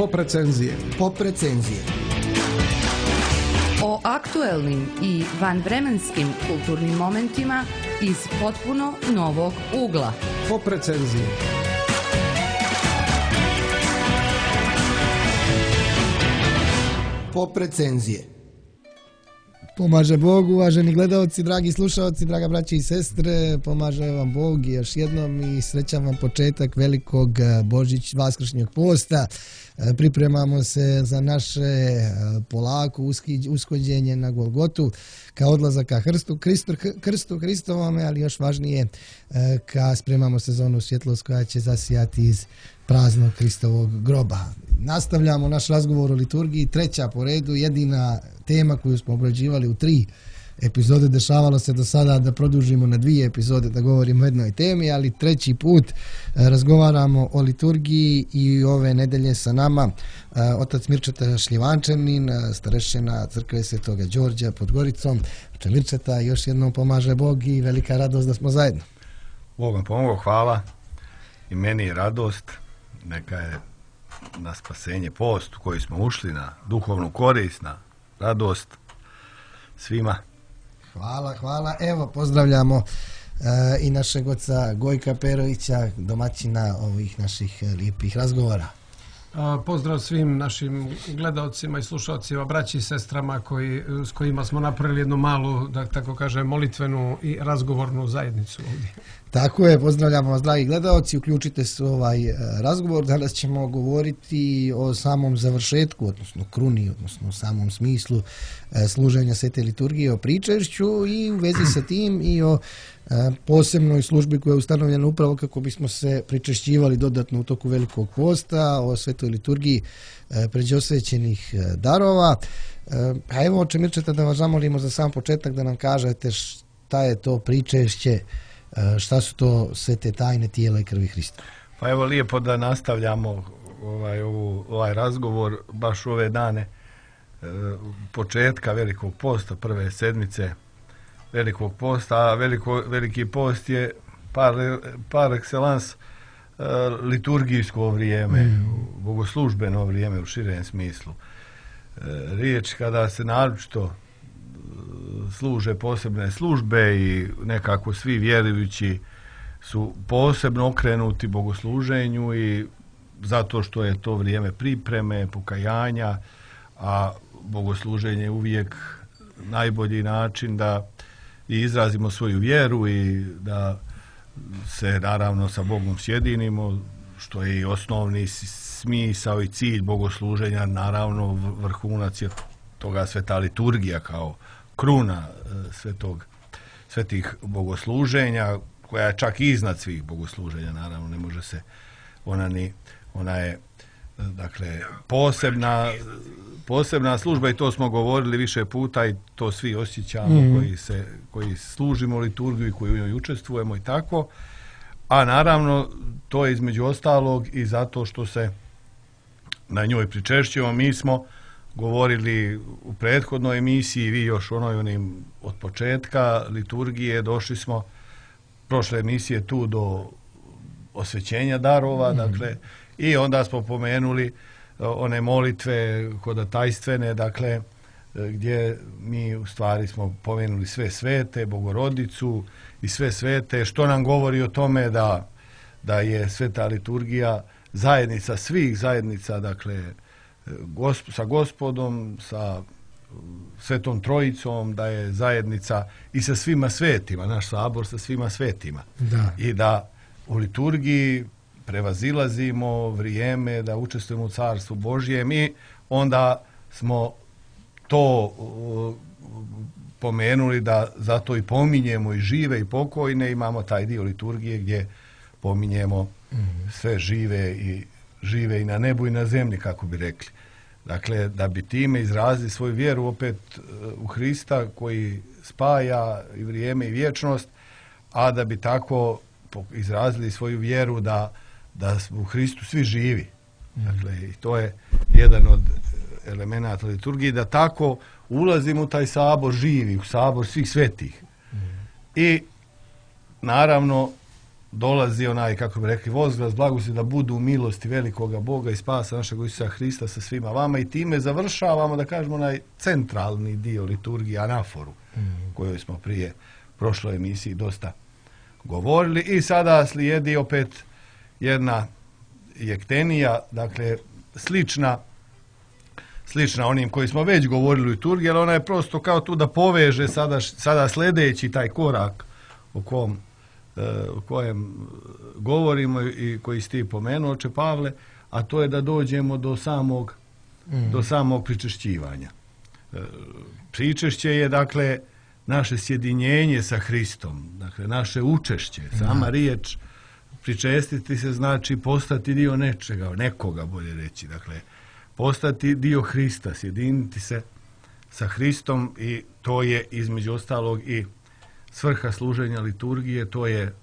Pop recenzije. Pop recenzije. O aktuelnim i vanvremenskim kulturnim momentima iz potpuno novog ugla. Pop recenzije. Pop recenzije. Pomaže Bog, uvaženi gledalci, dragi slušalci, draga braći i sestre, pomaže vam Bog još jednom i srećan vam početak velikog vaskršnjeg posta. Pripremamo se za naše polako ushođenje na Golgotu, ka odlazak ka krstu Hristovome, ali još važnije ka spremamo se za onu svjetlost koja će zasijati iz praznog Hristovog groba. Nastavljamo naš razgovor o liturgiji, treća po redu, jedina tema koju smo obrađivali u 3 epizode. Dešavalo se do sada da produžimo na 2 epizode da govorimo o jednoj temi, ali treći put razgovaramo o liturgiji i ove nedelje sa nama otac Mirčeta Šljivančanin, starešina crkve Svetoga Đorđa pod Goricom. Oče Mirčeta, još jednom pomaže Bog i velika radost da smo zajedno. Bog vam pomogao, hvala. I meni je radost, neka je na spasenje post u koji smo ušli, na duhovnu korist, na radost svima. Hvala. Evo, pozdravljamo i našeg oca Gojka Perovića, domaćina ovih naših lijepih razgovora. Pozdrav svim našim gledalcima i slušalcima, braći i sestrama s kojima smo napravili jednu malu, da tako kažem, molitvenu i razgovornu zajednicu ovdje. Tako je, pozdravljamo vas dragi gledalci, uključite se u ovaj razgovor. Danas ćemo govoriti o samom završetku, odnosno kruni, odnosno o samom smislu služenja svete liturgije, o pričešću i u vezi sa tim i o posebnoj službi koja je ustanovljena upravo kako bismo se pričešćivali dodatno u toku velikog posta, o svetoj liturgiji pređosvećenih darova. A evo, oče Mirčeta, da vas zamolimo za sam početak da nam kažete šta je to pričešće, šta su to sve te tajne tijela i krvi Hrista. Pa evo, lijepo da nastavljamo ovaj razgovor baš u ove dane početka velikog posta, prve sedmice velikog posta, a veliki post je par excellence liturgijsko vrijeme, bogoslužbeno vrijeme u širem smislu. Riječ kada se naročito služe posebne službe i nekako svi vjerujući su posebno okrenuti bogosluženju i zato što je to vrijeme pripreme, pokajanja, a bogosluženje je uvijek najbolji način da i izrazimo svoju vjeru i da se naravno sa Bogom sjedinimo, što je i osnovni smisao i cilj bogosluženja, naravno vrhunac je toga sveta liturgija kao kruna svetih bogosluženja, koja je čak iznad svih bogosluženja, naravno ne može se, ona je dakle posebna služba i to smo govorili više puta i to svi osjećamo koji služimo liturgiju i koji u njoj učestvujemo i tako, a naravno to je između ostalog i zato što se na njoj pričešćujemo. Mi smo govorili u prethodnoj emisiji, vi još onim od početka liturgije, došli smo prošle emisije tu do osvećenja darova, dakle, i onda smo pomenuli one molitve hodatajstvene, dakle, gdje mi u stvari smo pomenuli sve svete, Bogorodicu i sve svete, što nam govori o tome da je sveta liturgija zajednica svih zajednica, dakle, sa Gospodom, sa Svetom Trojicom, da je zajednica i sa svima svetima, naš sabor sa svima svetima. Da. I da u liturgiji prevazilazimo vrijeme, da učestvujemo u Carstvu Božjem i onda smo to pomenuli da zato i pominjemo i žive i pokojne, imamo taj dio liturgije gdje pominjemo sve žive i na nebu i na zemlji, kako bi rekli. Dakle, da bi time izrazili svoju vjeru opet u Hrista koji spaja i vrijeme i vječnost, a da bi tako izrazili svoju vjeru da u Hristu svi živi. Dakle, i to je jedan od elemenata liturgije, da tako ulazimo u taj sabor živi, u sabor svih svetih. I naravno dolazi onaj, kako bi rekli, vozglas blagosti da budu u milosti velikoga Boga i spasa našeg Isusa Hrista sa svima vama, i time završavamo, da kažemo, onaj centralni dio liturgije, anaforu, kojoj smo prije prošloj emisiji dosta govorili. I sada slijedi opet jedna jektenija, dakle slična onim koji smo već govorili u liturgiji, ali ona je prosto kao tu da poveže sada sljedeći taj korak o kojem govorimo i koji ste pomenuo, oče Pavle, a to je da dođemo do samog pričešćivanja. Pričešće je, dakle, naše sjedinjenje sa Hristom, dakle, naše učešće. Sama riječ pričestiti se znači postati dio nečega, nekoga, bolje reći, dakle, postati dio Hrista, sjediniti se sa Hristom, i to je između ostalog i svrha služenja liturgije, to je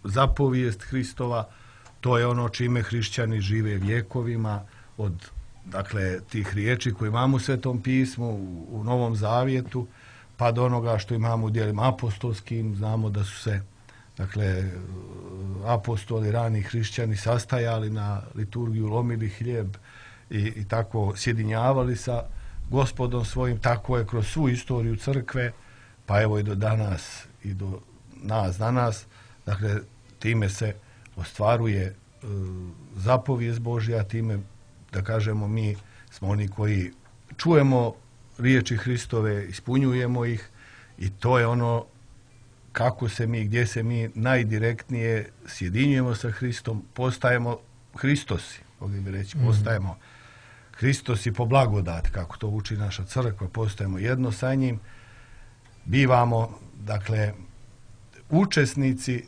zapovijest Hristova, to je ono čime hrišćani žive vjekovima, od, dakle, tih riječi koje imamo u Svetom pismu, u Novom Zavjetu, pa do onoga što imamo u djelima apostolskim. Znamo da su se, dakle, apostoli, rani hrišćani sastajali na liturgiju, lomili hljeb i tako sjedinjavali sa Gospodom svojim. Tako je kroz svu istoriju crkve, pa evo i do danas i do nas danas. Dakle, time se ostvaruje zapovijest Božja, time, da kažemo, mi smo oni koji čujemo riječi Hristove, ispunjujemo ih, i to je ono kako se mi, gdje se mi najdirektnije sjedinjujemo sa Hristom, postajemo Hristosi, mogli bi reći, postajemo Hristosi po blagodati, kako to uči naša crkva, postajemo jedno sa njim, bivamo, dakle, učesnici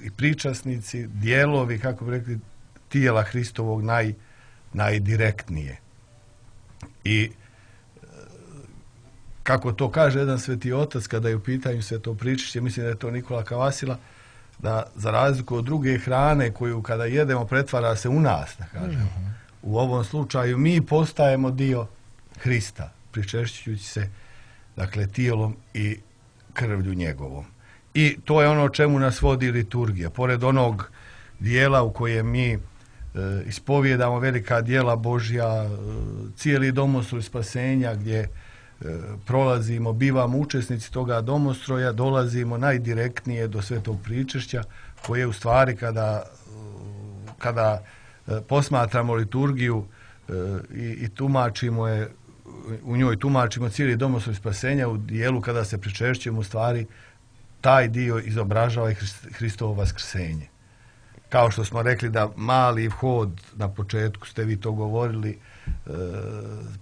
i pričasnici, dijelovi, kako bi rekli, tijela Hristovog najdirektnije. I kako to kaže jedan sveti otac kada je u pitanju sveto pričešće, mislim da je to Nikola Kavasila, da za razliku od druge hrane koju kada jedemo pretvara se u nas, da kažemo, u ovom slučaju mi postajemo dio Hrista, pričešćujući se, dakle, tijelom i krvlju njegovom. I to je ono čemu nas vodi liturgija. Pored onog dijela u kojem mi ispovijedamo velika djela Božja, cijeli domostroj spasenja, gdje prolazimo, bivamo učesnici toga domostroja, dolazimo najdirektnije do svetog pričešća, koje u stvari kada posmatramo liturgiju i tumačimo je, u njoj tumačimo cijeli domostroj spasenja, u dijelu kada se pričešćujemo, u stvari taj dio izobražava i Hristovo vaskrsenje. Kao što smo rekli da mali vhod, na početku ste vi to govorili,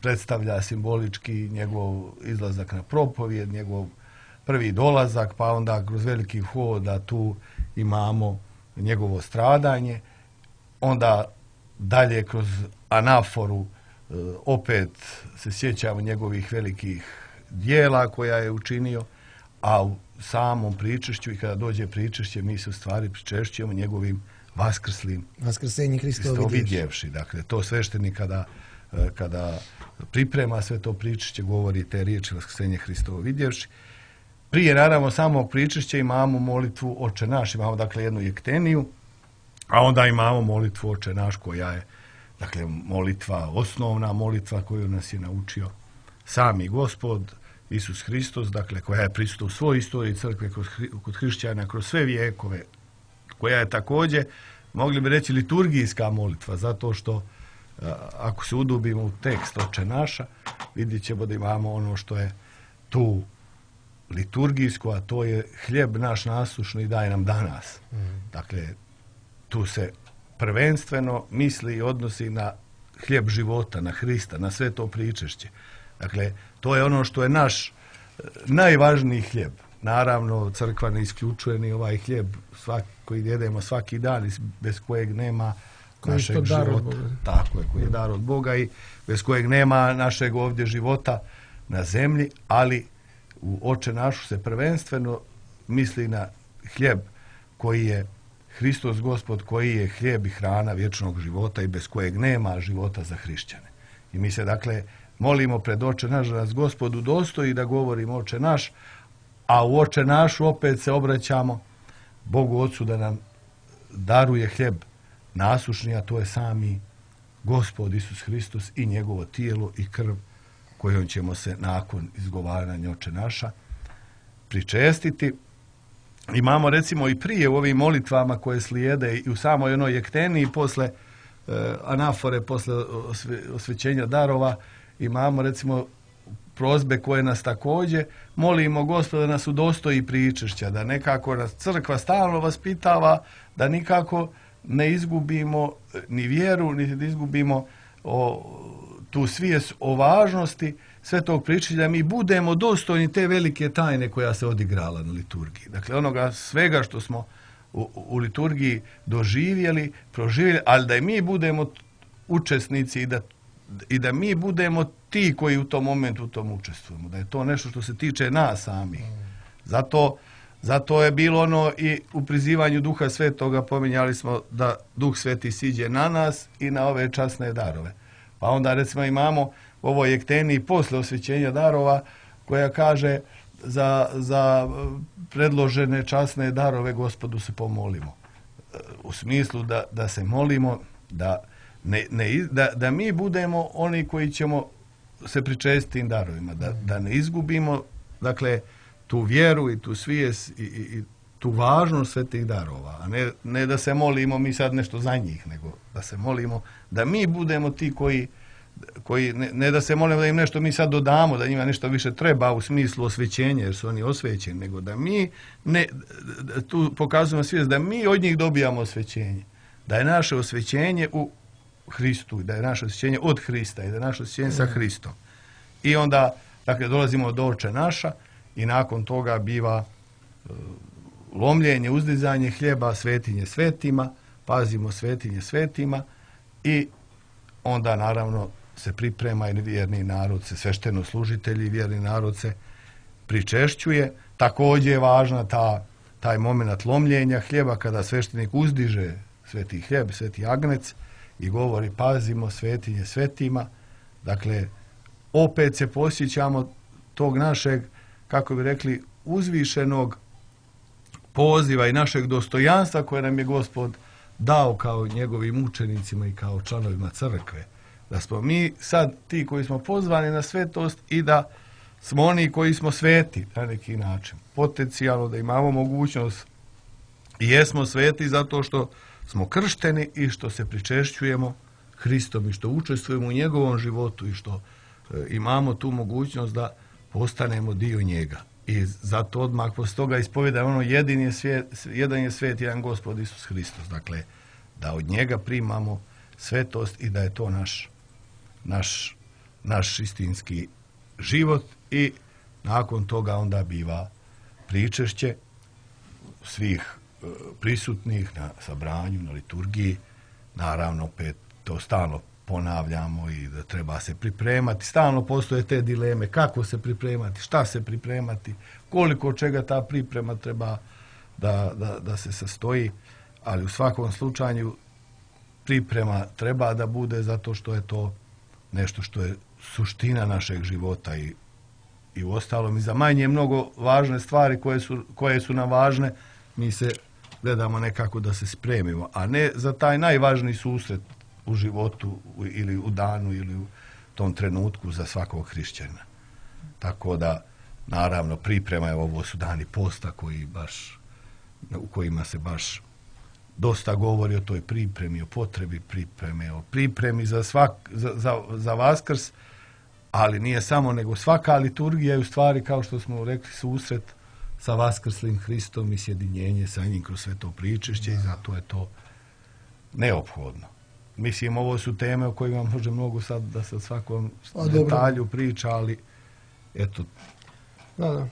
predstavlja simbolički njegov izlazak na propovijed, njegov prvi dolazak, pa onda kroz veliki vhod, da tu imamo njegovo stradanje, onda dalje kroz anaforu opet se sjećamo njegovih velikih dijela koja je učinio, a u samom pričešću, i kada dođe pričešće, mi se u stvari pričešćujemo njegovim vaskrsenje Hristovo vidjevši. Dakle, to sveštenik kada priprema sve to pričešće, govori te riječi vaskrsenje Hristovo vidjevši. Prije, naravno, samog pričešća imamo molitvu Oče naš, imamo, dakle, jednu jekteniju, a onda imamo molitvu Oče naš, koja je, dakle, molitva, osnovna molitva koju nas je naučio sami Gospod Isus Hristos, dakle, koja je prisutna u svojoj istoriji crkve kod hrišćana kroz sve vijekove, koja je također, mogli bi reći, liturgijska molitva, zato što ako se udubimo u tekst Oče naša, vidjet ćemo da imamo ono što je tu liturgijsko, a to je hljeb naš nasušni daj nam danas. Dakle, tu se prvenstveno misli i odnosi na hljeb života, na Hrista, na sve to pričešće. Dakle, to je ono što je naš najvažniji hljeb. Naravno, crkva ne isključuje ni ovaj hljeb koji jedemo svaki dan, bez kojeg nema našeg života. Tako je, koji je dar od Boga i bez kojeg nema našeg ovdje života na zemlji, ali u Oče našu se prvenstveno misli na hljeb koji je Hristos Gospod, koji je hljeb i hrana vječnog života i bez kojeg nema života za hrišćane. I mi se, dakle, molimo pred Oče naš da nas Gospod udostoji da govorimo Oče naš, a u Oče našu opet se obraćamo Bogu Otcu da nam daruje hljeb nasušni, a to je sami Gospod Isus Hristos i njegovo tijelo i krv kojom ćemo se nakon izgovaranja Oče naša pričestiti. Imamo recimo i prije u ovim molitvama koje slijede i u samoj onoj jekteni posle anafore, posle osvećenja darova, imamo recimo prozbe koje nas također molimo Gospoda da nas udostoji pričešća, da nekako nas crkva stalno vaspitava, da nikako ne izgubimo ni vjeru, ni da izgubimo tu svijest o važnosti svetog pričešća, da mi budemo dostojni te velike tajne koja se odigrala na liturgiji. Dakle, onoga svega što smo u liturgiji doživjeli, proživjeli, ali da i mi budemo učesnici i da mi budemo ti koji u tom momentu u tom učestvujemo. Da je to nešto što se tiče nas samih. Zato je bilo ono i u prizivanju Duha Svetoga, pominjali smo da Duh Sveti siđe na nas i na ove časne darove. Pa onda recimo imamo u ovoj jekteni posle osvećenja darova koja kaže za predložene časne darove Gospodu se pomolimo. U smislu da se molimo da mi budemo oni koji ćemo se pričestiti tim darovima, da ne izgubimo dakle tu vjeru i tu svijest i tu važnost svetih darova, a ne da se molimo mi sad nešto za njih, nego da se molimo da mi budemo ti koji ne da se molimo da im nešto mi sad dodamo, da njima nešto više treba u smislu osvećenja, jer su oni osvećeni, nego da mi tu pokazujemo svijest da mi od njih dobijamo osvećenje, da je naše osvećenje u Hristu, da je naše osvećenje od Hrista i da je naše osvećenje sa Hristom. I onda, dakle, dolazimo do Oče naša i nakon toga biva lomljenje, uzdizanje hljeba, svetinje svetima, pazimo svetinje svetima i onda naravno se priprema i vjerni narod se, svešteno-služitelji i vjerni narod se pričešćuje. Također je važna taj moment lomljenja hljeba kada sveštenik uzdiže sveti hljeb, sveti agnec i govori pazimo svetinje svetima. Dakle, opet se posjećamo tog našeg, kako bi rekli, uzvišenog poziva i našeg dostojanstva koje nam je Gospod dao kao njegovim učenicima i kao članovima crkve. Da smo mi sad ti koji smo pozvani na svetost i da smo oni koji smo sveti na neki način. Potencijalno da imamo mogućnost i jesmo sveti zato što smo kršteni i što se pričešćujemo Hristom i što učestvujemo u njegovom životu i što imamo tu mogućnost da postanemo dio njega. I zato odmah posle toga ispovjedamo ono jedan je svet, jedan Gospod Isus Hristos. Dakle, da od njega primamo svetost i da je to naš istinski život i nakon toga onda biva pričešće svih prisutnih na sabranju, na liturgiji. Naravno, opet to stalno ponavljamo i da treba se pripremati. Stalno postoje te dileme kako se pripremati, šta se pripremati, koliko čega ta priprema treba da se sastoji, ali u svakom slučaju priprema treba da bude zato što je to nešto što je suština našeg života i u ostalom i za manje mnogo važne stvari koje su nam važne, mi se gledamo nekako da se spremimo, a ne za taj najvažniji susret u životu ili u danu ili u tom trenutku za svakog hrišćana. Tako da, naravno, priprema je ovo su dani posta u kojima se baš dosta govori o toj pripremi, o potrebi pripreme, o pripremi za Vaskrs, ali nije samo, nego svaka liturgija je u stvari, kao što smo rekli, susret sa Vaskrslim Hristom i sjedinjenje sa njim kroz sve to pričešće i zato je to neophodno. Mislim, ovo su teme o kojima može mnogo sad da se svakom detalju priča, ali eto. Da.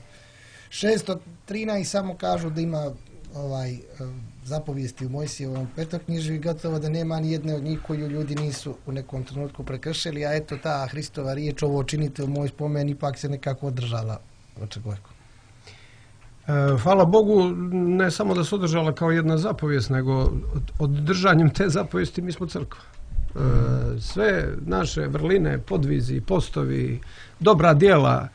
613 samo kažu da ima zapovijesti u Mojsijevom petoknjižju i gotovo da nema ni jedne od njih koju ljudi nisu u nekom trenutku prekršili, a eto ta Hristova riječ, ovo činite u moj spomen, ipak se nekako održala. Hvala Bogu, ne samo da se održala kao jedna zapovijest, nego oddržanjem te zapovijesti mi smo crkva. Sve naše vrline, podvizi, postovi, dobra djela,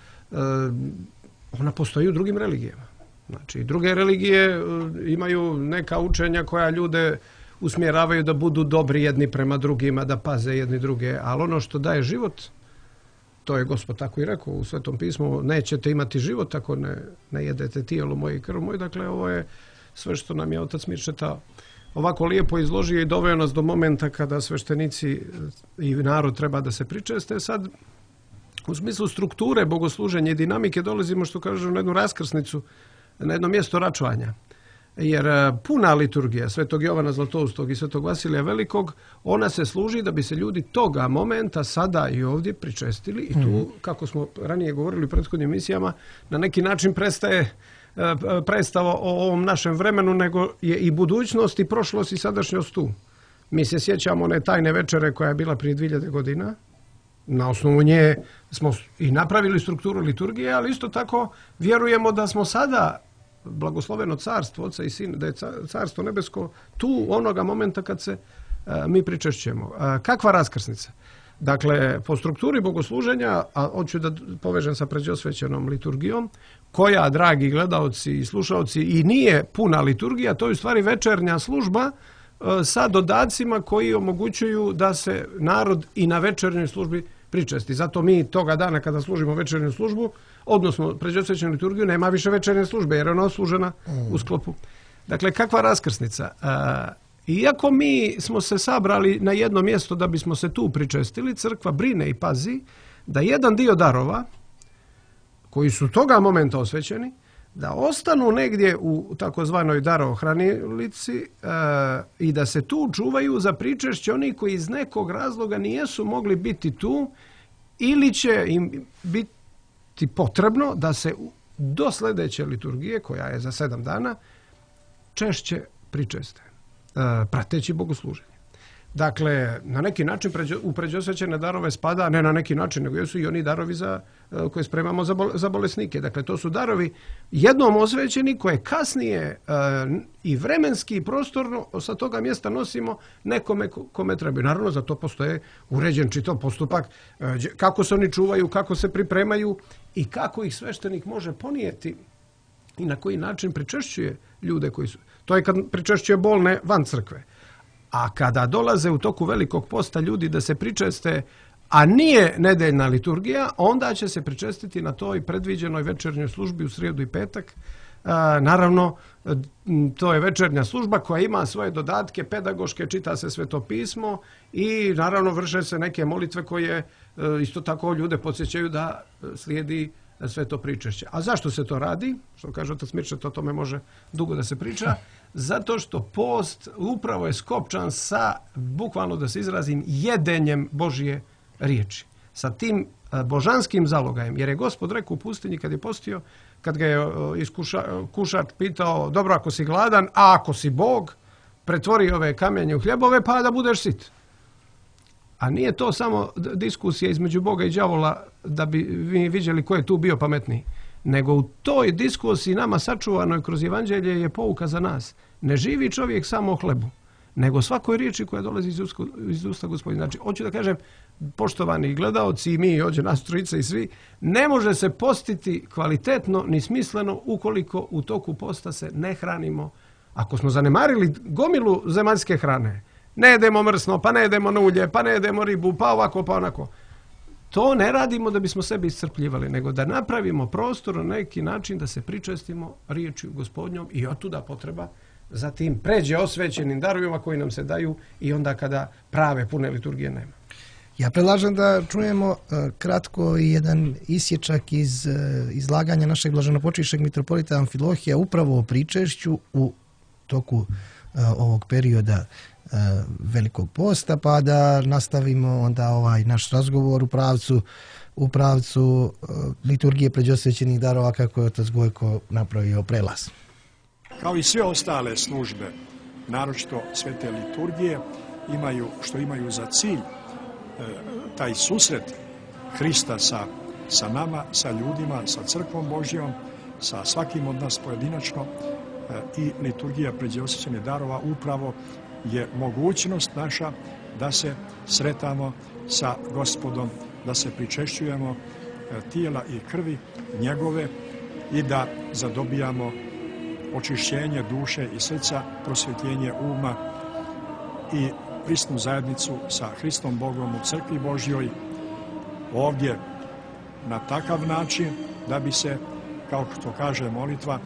ona postoji u drugim religijama. Znači, druge religije imaju neka učenja koja ljude usmjeravaju da budu dobri jedni prema drugima, da paze jedni druge, ali ono što daje život, to je Gospod tako i rekao u Svetom pismu, nećete imati život ako ne jedete tijelo moje i krv moj. Dakle, ovo je sve što nam je Otac Mirčeta ovako lijepo izložio i doveo nas do momenta kada sveštenici i narod treba da se pričeste. Sad, u smislu strukture bogosluženja i dinamike dolazimo, što kažu, na jednu raskrsnicu, na jedno mjesto račvanja. Jer puna liturgija Svetog Jovana Zlatoustog i Svetog Vasilija Velikog, ona se služi da bi se ljudi toga momenta sada i ovdje pričestili i tu, kako smo ranije govorili u prethodnim emisijama, na neki način predstava o ovom našem vremenu, nego je i budućnost i prošlost i sadašnjost tu. Mi se sjećamo one tajne večere koja je bila prije 2000 godina. Na osnovu nje smo i napravili strukturu liturgije, ali isto tako vjerujemo da smo sada blagosloveno carstvo Oca i Sina, da je carstvo nebesko tu onoga momenta kad se mi pričešćujemo. Kakva raskrsnica? Dakle, po strukturi bogosluženja, a hoću da povežem sa pređosvećenom liturgijom, koja, dragi gledaoci i slušaoci, i nije puna liturgija, to je u stvari večernja služba sa dodacima koji omogućuju da se narod i na večernjoj službi pričesti. Zato mi toga dana kada služimo večernju službu, odnosno pređosvećenu liturgiju, nema više večernje službe jer je ona oslužena u sklopu. Dakle, kakva raskrsnica? Iako mi smo se sabrali na jedno mjesto da bismo se tu pričestili, crkva brine i pazi da jedan dio darova koji su toga momenta osvećeni, da ostanu negdje u takozvanoj darohranilici i da se tu čuvaju za pričešće oni koji iz nekog razloga nijesu mogli biti tu ili će im biti potrebno da se do sljedeće liturgije, koja je za 7 dana, češće pričeste, prateći bogosluženje. Dakle, na neki način u pređosvećene darove spada, ne na neki način, nego jesu i oni darovi koje spremamo za bolesnike. Dakle, to su darovi jednom osvećeni koje kasnije i vremenski i prostorno sa toga mjesta nosimo nekome kome trebaju. Naravno, za to postoje uređen čitav postupak, kako se oni čuvaju, kako se pripremaju i kako ih sveštenik može ponijeti i na koji način pričešćuje ljude koji su. To je kad pričešćuje bolne van crkve. A kada dolaze u toku Velikog posta ljudi da se pričeste, a nije nedeljna liturgija, onda će se pričestiti na toj predviđenoj večernjoj službi u srijedu i petak. Naravno, to je večernja služba koja ima svoje dodatke pedagoške, čita se Sveto pismo i naravno vrše se neke molitve koje isto tako ljude podsjećaju da slijedi sveto pričešće. A zašto se to radi? Što kaže Otac Mirčeta, o tome može dugo da se priča. Zato što post upravo je skopčan sa, bukvalno da se izrazim, jedenjem Božje riječi. Sa tim božanskim zalogajem. Jer je Gospod rekao u pustinji kad je postio, kad ga je kušač pitao, dobro, ako si gladan, a ako si Bog, pretvori ove kamenje u hljebove pa da budeš sit. A nije to samo diskusija između Boga i đavola da bi vi vidjeli ko je tu bio pametniji. Nego u toj diskusiji nama sačuvanoj kroz evanđelje je pouka za nas. Ne živi čovjek samo o hlebu, nego svakoj riječi koja dolazi iz usta Gospodina. Znači, hoću da kažem, poštovani gledaoci i mi, ovdje nas trojica i svi, ne može se postiti kvalitetno ni smisleno ukoliko u toku posta se ne hranimo. Ako smo zanemarili gomilu zemaljske hrane, ne jedemo mrsno, pa ne jedemo ulje, pa ne jedemo ribu, pa ovako, pa onako. To ne radimo da bismo sebe iscrpljivali, nego da napravimo prostor na neki način da se pričestimo riječju Gospodnjom i otuda potreba zatim pređe osvećenim darovima koji nam se daju i onda kada prave pune liturgije nema. Ja predlažem da čujemo kratko jedan isječak iz izlaganja našeg blaženopočivšeg mitropolita Amfilohija upravo o pričešću u toku ovog perioda Velikog posta, pa da nastavimo onda ovaj naš razgovor u pravcu liturgije pređosvećenih darova kako je otac Gojko napravio prelaz. Kao i sve ostale službe, naročito svete liturgije, imaju za cilj taj susret Hrista sa nama, sa ljudima, sa crkvom Božjom, sa svakim od nas pojedinačno, i liturgija pređosvećenih darova upravo je mogućnost naša da se sretamo sa Gospodom, da se pričešćujemo tijela i krvi njegove i da zadobijamo očišćenje duše i srca, prosvjetljenje uma i prisnu zajednicu sa Hristom Bogom u crkvi Božjoj ovdje na takav način da bi se, kao što kaže molitva,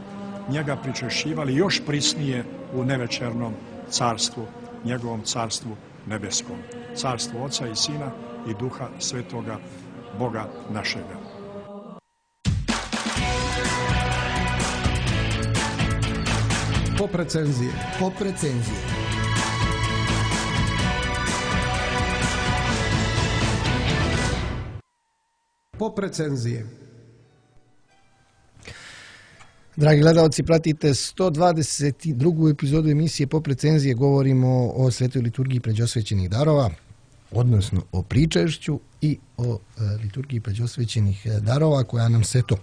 njega pričešćivali još prisnije u nevečernom carstvu, njegovom carstvu nebeskom. Carstvo Oca i Sina i Duha Svetoga, Boga našega. Pop recenzije. Pop recenzije. Pop recenzije. Dragi gledalci, pratite 122. epizodu emisije Pop recenzije. Govorimo o svetoj liturgiji pređosvećenih darova, odnosno o pričešću i o liturgiji pređosvećenih darova, koja nam se to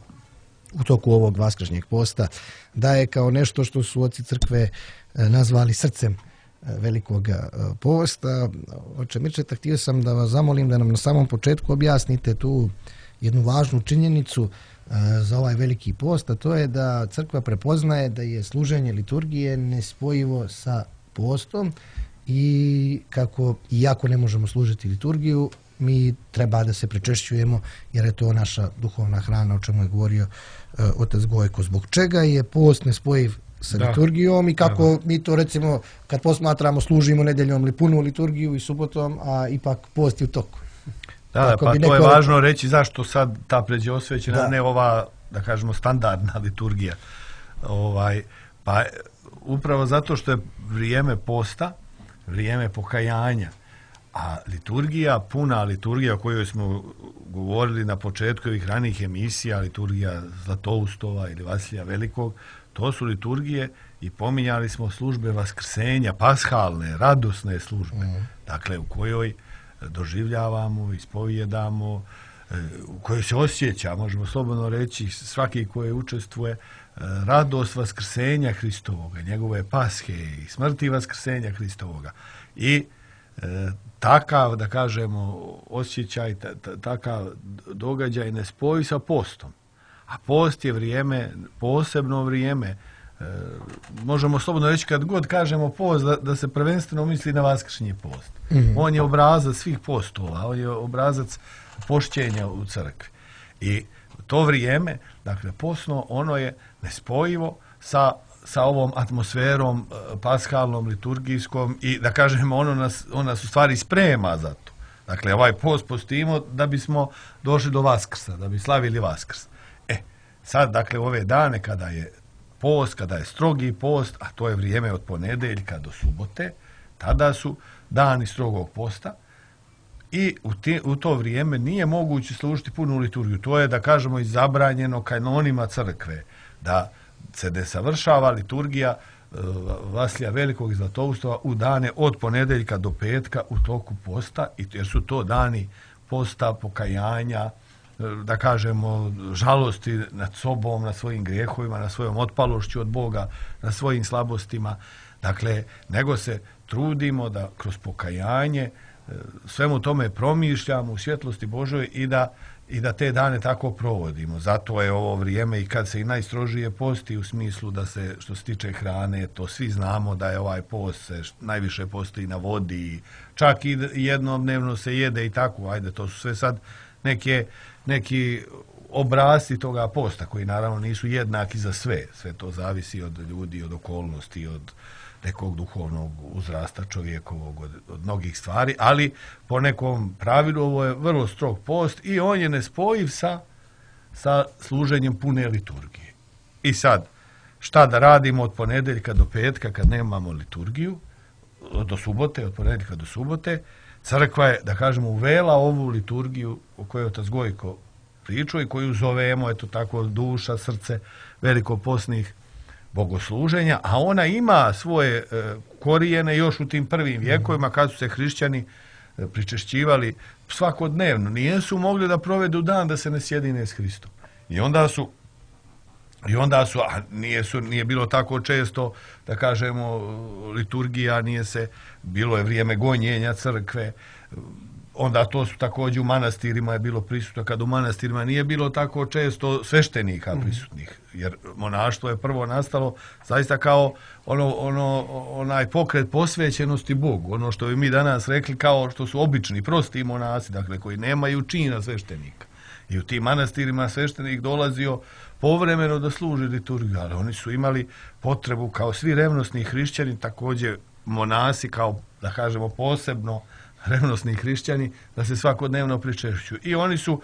u toku ovog vaskršnjeg posta daje kao nešto što su oci crkve nazvali srcem velikog posta. Oče Mirčeta, htio sam da vas zamolim da nam na samom početku objasnite tu jednu važnu činjenicu za ovaj veliki post, a to je da crkva prepoznaje da je služenje liturgije nespojivo sa postom i kako, iako ne možemo služiti liturgiju, mi treba da se prečešćujemo jer je to naša duhovna hrana, o čemu je govorio otac Gojko. Zbog čega je post nespojiv sa liturgijom i kako mi to, recimo, kad posmatramo, služimo nedeljom ili punu liturgiju i subotom, a ipak post je u toku. Da, pa to je važno reći zašto sad ta pređosvećena, ne ova, da kažemo, standardna liturgija. Pa upravo zato što je vrijeme posta, vrijeme pokajanja, a liturgija, puna liturgija o kojoj smo govorili na početku ovih ranijih emisija, liturgija Zlatoustova ili Vasilija Velikog, to su liturgije i pominjali smo službe vaskrsenja, pashalne, radosne službe, dakle u kojoj doživljavamo, ispovijedamo, u kojoj se osjeća, možemo slobodno reći, svaki koji učestvuje, radost vaskrsenja Hristovoga, njegove pashe i smrti vaskrsenja Hristovoga. I takav, da kažemo, osjećaj, takav događaj ne spoji sa postom. A post je vrijeme, posebno vrijeme. Možemo slobodno reći, kad god kažemo post, da se prvenstveno misli na vaskršnji post. On je obrazac svih postova, on je obrazac pošćenja u crkvi. I to vrijeme, dakle, postno, ono je nespojivo sa ovom atmosferom pashalnom, liturgijskom i, da kažemo, ono nas u stvari sprema za to. Dakle, ovaj post postimo da bismo došli do Vaskrsa, da bi slavili Vaskrs. Sad, dakle, ove dane kada je post, kada je strogi post, a to je vrijeme od ponedeljka do subote, tada su dani strogog posta i u to vrijeme nije moguće služiti punu liturgiju. To je, da kažemo, i zabranjeno kanonima crkve, da se ne savršava liturgija Vasilija Velikog i Zlatoustova u dane od ponedeljka do petka u toku posta, jer su to dani posta, pokajanja, da kažemo, žalosti nad sobom, nad svojim grijehovima, nad svojom otpalošću od Boga, nad svojim slabostima. Dakle, nego se trudimo da kroz pokajanje svemu tome promišljamo u svjetlosti Božoj i da te dane tako provodimo. Zato je ovo vrijeme i kad se i najstrožije posti, u smislu da se, što se tiče hrane, to svi znamo da je ovaj post se najviše postoji na vodi, čak i jednodnevno se jede i tako. Ajde, to su sve sad neki obrasci toga posta koji naravno nisu jednaki za sve. Sve to zavisi od ljudi, od okolnosti, od nekog duhovnog uzrasta čovjekovog, od mnogih stvari, ali po nekom pravilu ovo je vrlo strog post i on je nespojiv sa služenjem pune liturgije. I sad, šta da radimo od ponedeljka do petka kad nemamo liturgiju, do subote, od ponedeljka do subote? Crkva je, da kažemo, uvela ovu liturgiju o kojoj otac Gojko pričao i koju zovemo, eto tako, duša, srce velikoposnih bogosluženja, a ona ima svoje korijene još u tim prvim vjekovima kad su se hrišćani pričešćivali svakodnevno. Nijesu mogli da provedu dan da se ne sjedine s Hristom. I onda su, a nije bilo tako često, da kažemo, liturgija, bilo je vrijeme gonjenja crkve, onda to su također u manastirima je bilo prisutno, kad u manastirima nije bilo tako često sveštenika prisutnih, jer monaštvo je prvo nastalo zaista kao onaj pokret posvećenosti Bogu, ono što bi mi danas rekli kao što su obični, prosti monasi, dakle koji nemaju čina sveštenika. I u tim manastirima sveštenik dolazio povremeno da služi liturgiju, ali oni su imali potrebu kao svi revnosni hrišćani, također monasi kao, da kažemo, posebno revnosni hrišćani, da se svakodnevno pričešćuju. I oni su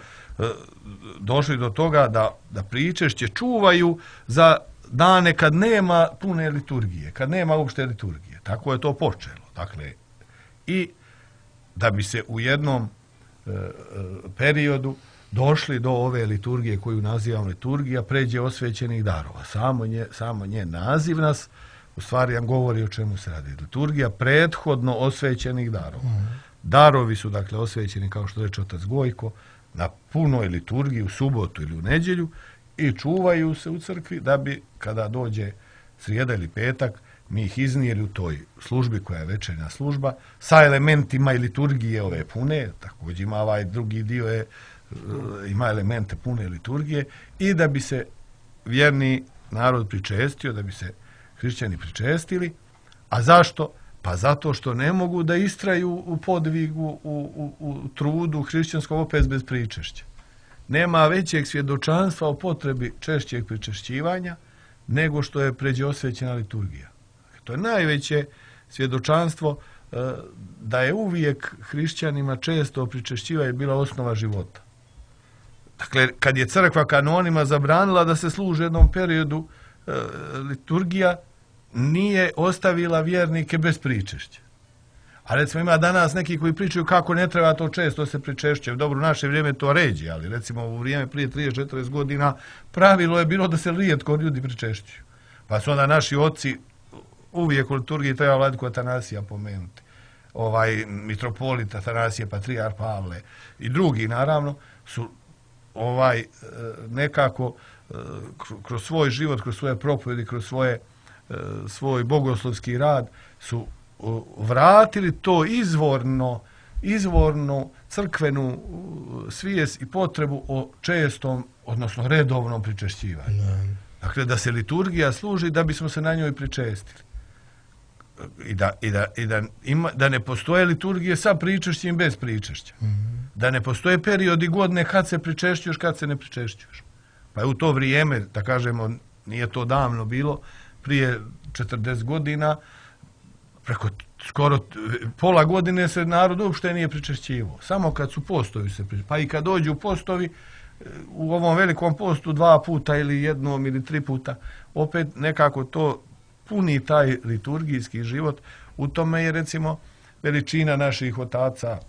došli do toga da pričešće čuvaju za dane kad nema pune liturgije, kad nema uopšte liturgije. Tako je to počelo. Dakle, i da bi se u jednom periodu došli do ove liturgije koju nazivamo liturgija, pređe osvećenih darova. Samo njen naziv nas u stvari nam govori o čemu se radi. Liturgija prethodno osvećenih darova. Darovi su dakle osvećeni, kao što reče otac Gojko, na punoj liturgiji u subotu ili u nedjelju i čuvaju se u crkvi da bi kada dođe srijeda ili petak mi ih iznijeli u toj službi koja je večernja služba sa elementima i liturgije ove pune, također ima ovaj drugi dio ima elemente pune liturgije i da bi se vjerni narod pričestio, da bi se hrišćani pričestili. A zašto? Pa zato što ne mogu da istraju u podvigu, u trudu hrišćanskog opet bez pričešća. Nema većeg svjedočanstva o potrebi češćeg pričešćivanja nego što je pređe osvećena liturgija. To je najveće svjedočanstvo da je uvijek hrišćanima često pričešćivanje bila osnova života. Dakle, kad je crkva kanonima zabranila da se služi u jednom periodu liturgija, nije ostavila vjernike bez pričešća. A recimo ima danas neki koji pričaju kako ne treba to često se pričešće. Dobro, u naše vrijeme to ređe, ali recimo u vrijeme prije 30-40 godina pravilo je bilo da se rijetko ljudi pričešćuju. Pa su onda naši oci uvijek u liturgiji treba Vladiko Atanasija pomenuti. Mitropolit Atanasije, patrijar Pavle i drugi naravno su nekako kroz svoj život, kroz svoje propovjedi, kroz svoj bogoslovski rad su vratili to izvornu crkvenu svijest i potrebu o čestom, odnosno redovnom pričešćivanju. Dakle, da se liturgija služi da bismo se na njoj pričestili. Da ne postoje liturgije sa pričešćem bez pričešća. Da ne postoje periodi godine kad se pričešćuješ, kad se ne pričešćuješ. Pa je u to vrijeme, da kažemo, nije to davno bilo, prije 40 godina, preko skoro pola godine se narod uopšte nije pričešćivao. Samo kad su postovi se pričešćivao. Pa i kad dođu postovi, u ovom velikom postu 2 puta ili jednom ili 3 puta, opet nekako to puni taj liturgijski život. U tome je recimo veličina naših otaca,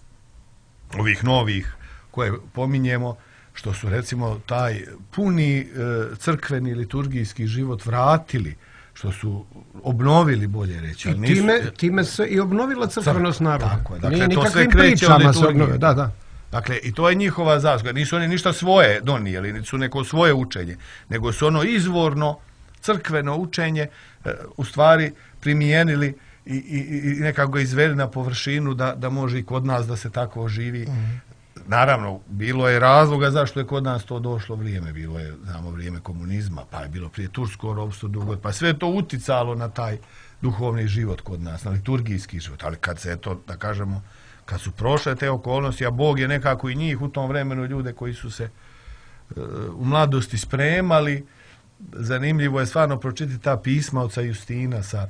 ovih novih koje pominjemo, što su recimo taj puni crkveni liturgijski život vratili, što su obnovili, bolje reći. I time se i obnovila crkvenost naroda. Tako je. Dakle, to sve kreće od liturgije. Da. Dakle, i to je njihova zasluga. Nisu oni ništa svoje donijeli, nisu neko svoje učenje, nego su ono izvorno crkveno učenje u stvari primijenili i nekako ga izveli na površinu da može i kod nas da se tako živi. Naravno, bilo je razloga zašto je kod nas to došlo vrijeme. Bilo je, znamo, vrijeme komunizma, pa je bilo prije tursko ropstvo dugo, pa sve to uticalo na taj duhovni život kod nas, na liturgijski život. Ali kad se to, da kažemo, kad su prošle te okolnosti, a Bog je nekako i njih u tom vremenu, ljude koji su se u mladosti spremali, zanimljivo je stvarno pročitati ta pisma oca Justina sa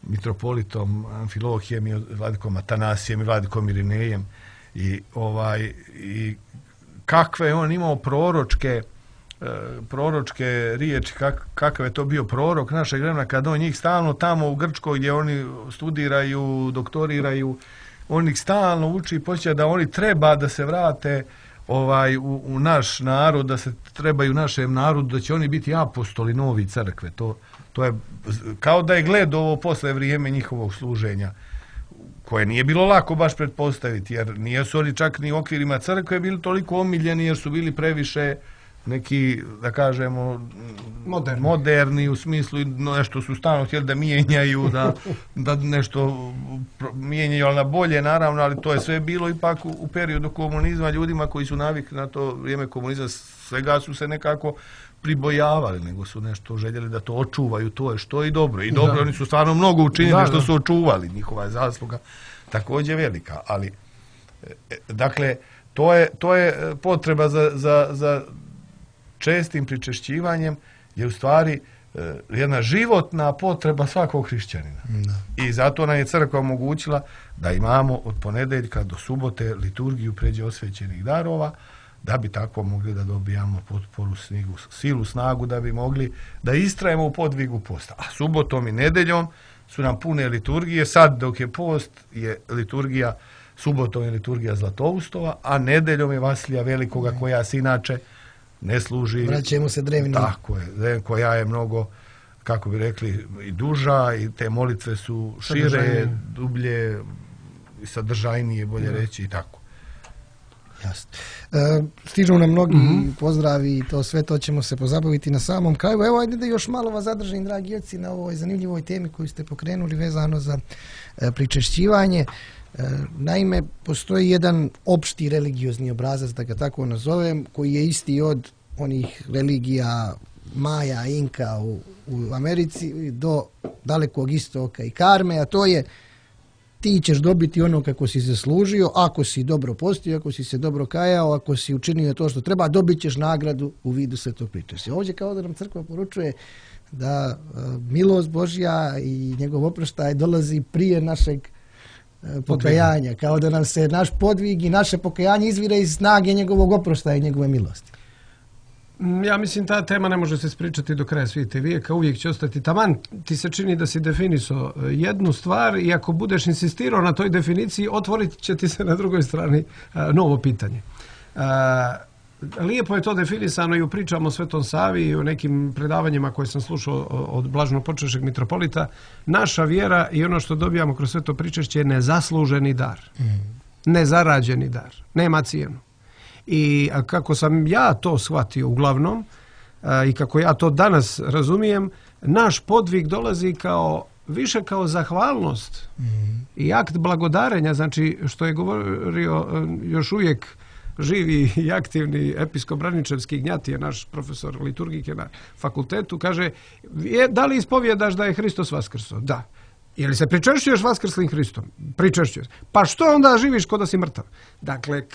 mitropolitom Amfilohijem i vladikom Atanasijem i vladikom Irinejem i kakve je on imao proročke riječi, kakav je to bio prorok našeg vremena kad on njih stalno tamo u Grčkoj gdje oni studiraju, doktoriraju, on ih stalno uči i počeće da oni treba da se vrate u naš narod, da se trebaju našem narodu, da će oni biti apostoli novi crkve. To je kao da je gled ovo posle vrijeme njihovog služenja, koje nije bilo lako baš pretpostaviti, jer nisu oni čak ni u okvirima crkve bili toliko omiljeni, jer su bili previše neki, da kažemo, Moderni. u smislu nešto su stalno htjeli da mijenjaju, da nešto mijenjaju, ali na bolje naravno, ali to je sve bilo ipak u periodu komunizma, ljudima koji su navikli na to vrijeme komunizma, svega su se nekako pribojavali, nego su nešto željeli da to očuvaju, to je što i dobro. I dobro, oni su stvarno mnogo učinili što su očuvali, njihova je zasluga također velika, ali dakle, to je potreba za čestim pričešćivanjem je u stvari jedna životna potreba svakog hrišćanina. I zato nam je crkva omogućila da imamo od ponedeljka do subote liturgiju pređe osvećenih darova, da bi tako mogli da dobijamo potporu, silu, snagu, da bi mogli da istrajemo u podvigu posta. A subotom i nedeljom su nam pune liturgije. Sad dok je post je liturgija, subotom je liturgija Zlatoustova, a nedeljom je Vasilija Velikoga koja se inače ne služi. Vraćamo se drevnim. Tako je, koja je mnogo, kako bi rekli, i duža i te molitve su šire, dublje i sadržajnije, bolje reći i tako. Jasno. Stižu nam mnogi pozdravi i to sve to ćemo se pozabaviti na samom kraju. Evo, ajde da još malo vas zadržim, dragi oci, na ovoj zanimljivoj temi koju ste pokrenuli vezano za pričešćivanje. Naime, postoji jedan opšti religiozni obrazac, da ga tako nazovem, koji je isti od onih religija Maja, Inka u Americi do Dalekog istoka i Karme, a to je ti ćeš dobiti ono kako si zaslužio, ako si dobro postio, ako si se dobro kajao, ako si učinio to što treba, dobit ćeš nagradu u vidu svetog pričešća. Ovdje kao da nam crkva poručuje da milost Božja i njegov oproštaj dolazi prije našeg pokajanja, kao da nam se naš podvig i naše pokajanje izvire iz snage njegovog oproštaja i njegove milosti. Ja mislim ta tema ne može se ispričati do kraja svijeta vijeka, uvijek će ostati taman. Ti se čini da si definisao jednu stvar i ako budeš insistirao na toj definiciji, otvorit će ti se na drugoj strani novo pitanje. Lijepo je to definisano i u pričama o Svetom Savi i u nekim predavanjima koje sam slušao od blaženopočevšeg mitropolita. Naša vjera i ono što dobijamo kroz sveto pričešće je nezasluženi dar. Nezarađeni dar. Nema cijenu. I kako sam ja to shvatio uglavnom i kako ja to danas razumijem, naš podvig dolazi više kao zahvalnost i akt blagodarenja, znači što je govorio još uvijek živi i aktivni episkop Braničevski Gnjatije, naš profesor liturgike na fakultetu, kaže, da li ispovjedaš da je Hristos vaskrso? Da. Je li se pričešćuješ vaskrslim Hristom? Pričešćuješ. Pa što onda živiš kao da si mrtav? Dakle,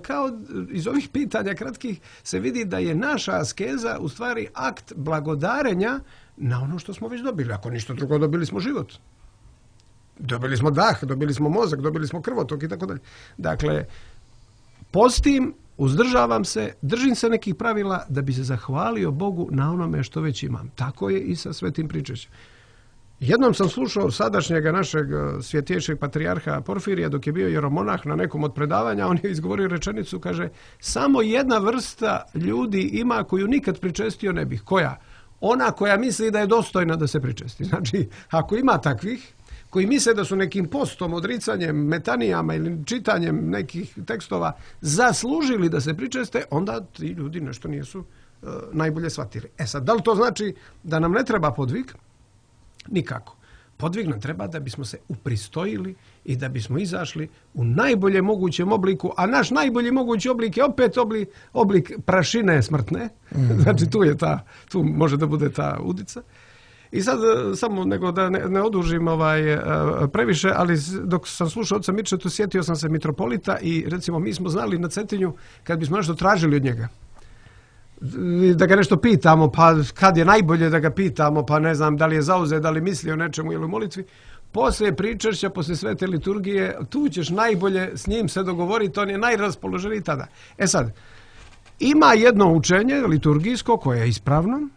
kao iz ovih pitanja kratkih se vidi da je naša askeza u stvari akt blagodarenja na ono što smo već dobili. Ako ništa drugo, dobili smo život. Dobili smo dah, dobili smo mozak, dobili smo krvotok i tako dalje. Dakle, postim, uzdržavam se, držim se nekih pravila da bi se zahvalio Bogu na onome što već imam. Tako je i sa svetim pričešćem. Jednom sam slušao sadašnjega našeg svjetejšeg patrijarha Porfirija dok je bio jeromonah na nekom od predavanja, on je izgovorio rečenicu, kaže, samo jedna vrsta ljudi ima koju nikad pričestio ne bih. Koja? Ona koja misli da je dostojna da se pričesti. Znači, ako ima takvih koji misle da su nekim postom, odricanjem, metanijama ili čitanjem nekih tekstova zaslužili da se pričeste, onda ti ljudi nešto nisu najbolje shvatili. Sad, da li to znači da nam ne treba podvig? Nikako. Podvig nam treba da bismo se upristojili i da bismo izašli u najbolje mogućem obliku, a naš najbolji mogući oblik je opet oblik prašine smrtne. Znači tu može da bude ta udica. I sad samo nego da ne odužim previše, ali dok sam slušao oca Mirčetu, sjetio sam se mitropolita i recimo mi smo znali na Cetinju kad bismo nešto tražili od njega, da ga nešto pitamo, pa kad je najbolje da ga pitamo, pa ne znam da li je zauzet, da li misli o nečemu ili u molitvi, poslije pričešća, poslije svete liturgije, tu ćeš najbolje s njim se dogovoriti, on je najraspoloženiji tada. Sad, ima jedno učenje liturgijsko koje je ispravno,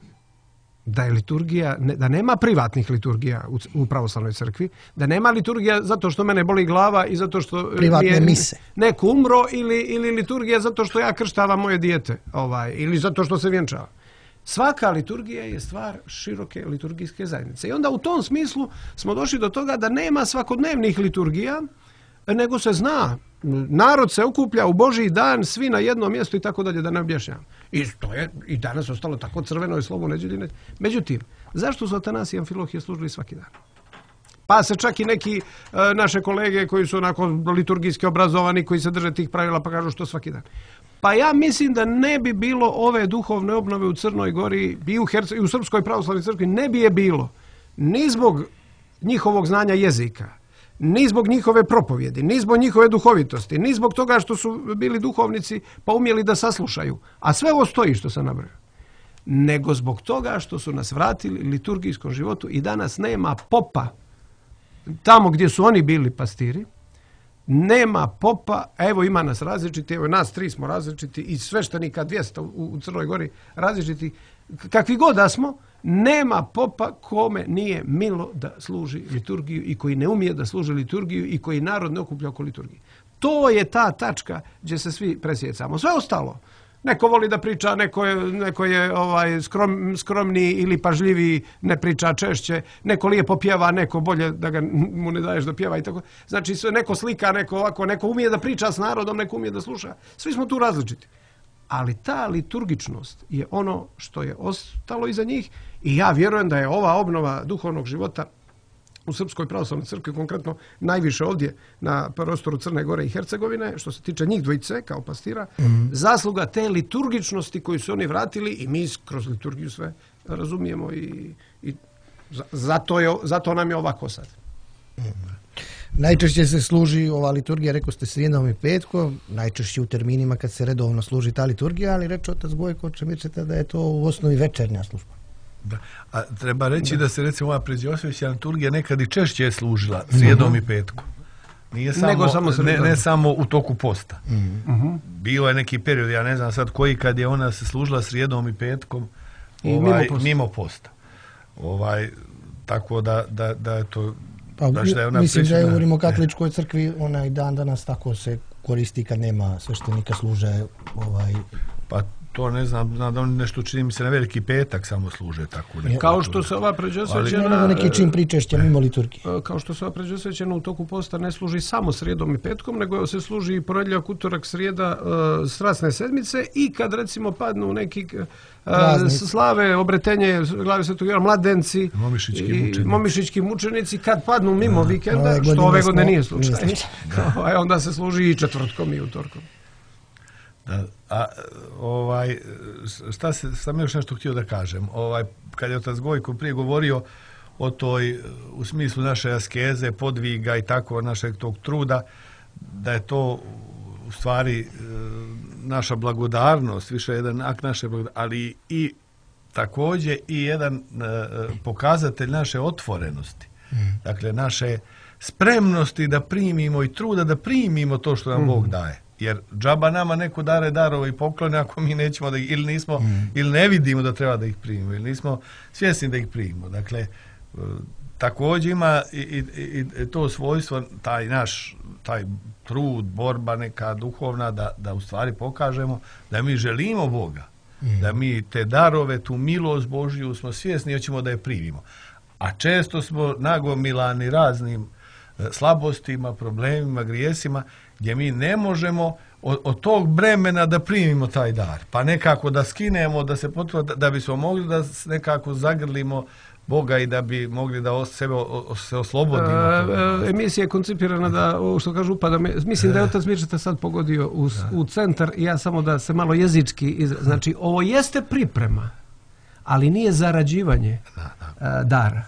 da je liturgija, da nema privatnih liturgija u pravoslavnoj crkvi, da nema liturgija zato što mene boli glava i zato što privatne mise. Neko umro ili liturgija zato što ja krštavam moje dijete ili zato što se vjenčava. Svaka liturgija je stvar široke liturgijske zajednice. I onda u tom smislu smo došli do toga da nema svakodnevnih liturgija, nego se zna. Narod se okuplja u Božji dan, svi na jednom mjestu i tako dalje, da ne objašnjavam. I to je i danas ostalo tako crveno i slovo nedjeljine. Međutim, zašto su Atanasije i Amfilohije služili svaki dan? Pa se čak i neki naše kolege koji su onako liturgijski obrazovani, koji se drže tih pravila, pa kažu što svaki dan. Pa ja mislim da ne bi bilo ove duhovne obnove u Crnoj Gori i u Srpskoj pravoslavnoj crkvi, ne bi je bilo ni zbog njihovog znanja jezika, ni zbog njihove propovjedi, ni zbog njihove duhovitosti, ni zbog toga što su bili duhovnici pa umjeli da saslušaju. A sve ovo stoji što sam nabrojao. Nego zbog toga što su nas vratili liturgijskom životu i danas nema popa tamo gdje su oni bili pastiri, nema popa, evo ima nas različiti, evo nas 3 smo različiti i sveštenika 200 u Crnoj Gori različiti, kakvi god da smo, nema popa kome nije milo da služi liturgiju i koji ne umije da služi liturgiju i koji narod ne okuplja oko liturgije. To je ta tačka gdje se svi presjecamo. Sve ostalo, neko voli da priča, neko je skromniji ili pažljiviji, ne priča češće, neko lijepo pjeva, neko bolje da mu ne daješ da pjeva i tako. Znači neko slika, neko ovako, neko umije da priča s narodom, neko umije da sluša. Svi smo tu različiti. Ali ta liturgičnost je ono što je ostalo iza njih i ja vjerujem da je ova obnova duhovnog života u Srpskoj pravoslavnoj crkvi, konkretno najviše ovdje na prostoru Crne Gore i Hercegovine, što se tiče njih dvojice kao pastira, zasluga te liturgičnosti koju su oni vratili i mi kroz liturgiju sve razumijemo i zato nam je ovako sad. Najčešće se služi ova liturgija, rekao ste, srijedom i petkom, najčešće u terminima kad se redovno služi ta liturgija, ali reče otac Gojko Čemirčeta da je to u osnovi večernja služba. Da. A treba reći da se recimo ova pređosvećna liturgija nekad i češće je služila srijedom i petkom. Nije ne samo u toku posta. Bilo je neki period, ja ne znam sad koji, kad je ona se služila srijedom i petkom mimo posta. Tako da je to... Mislim da je u Rimokatoličkoj crkvi ona i dan danas tako se koristi kad nema sveštenika služe. Pa to ne znam da oni nešto, čini mi se, na Veliki petak samo služe tako. Kao što se ova pređosvećena... neki čin pričešća mimo liturgije. Kao što se ova pređosvećena u toku posta ne služi samo srijedom i petkom, nego se služi i ponedjeljak, utorak, srijeda, strasne sedmice i kad recimo padnu neki slave, obretenje glave Svetog Jovana, mladenci, momišićki mučenici, kad padnu mimo vikenda, što ove godine nije slučaj, onda se služi i četvrtkom i utorkom. Sam još nešto htio da kažem. Kad je otac Gojko prije govorio o toj, u smislu naše askeze, podviga i tako, našeg tog truda, da je to u stvari naša blagodarnost, više jedan akt naše blagodarnosti, ali i također i jedan pokazatelj naše otvorenosti. Dakle, naše spremnosti da primimo i truda da primimo to što nam Bog daje. Jer džaba nama neko dare darove i poklone ako mi nećemo da ih, ili nismo, ili ne vidimo da treba da ih primimo, ili nismo svjesni da ih primimo. Dakle, također ima i to svojstvo, taj trud, borba neka duhovna, da u stvari pokažemo da mi želimo Boga, da mi te darove, tu milost Božju smo svjesni i hoćemo da je primimo. A često smo nagomilani raznim slabostima, problemima, grijesima, gdje mi ne možemo od tog bremena da primimo taj dar. Pa nekako da skinemo, da se potrudimo, da bismo mogli da nekako zagrlimo Boga i da bi mogli da se oslobodimo. Emisija je koncipirana da, što kažu, upada. Mislim da je otac Mirčeta sad pogodio u centar i ja samo da se malo jezički... Znači, ovo jeste priprema, ali nije zarađivanje dara.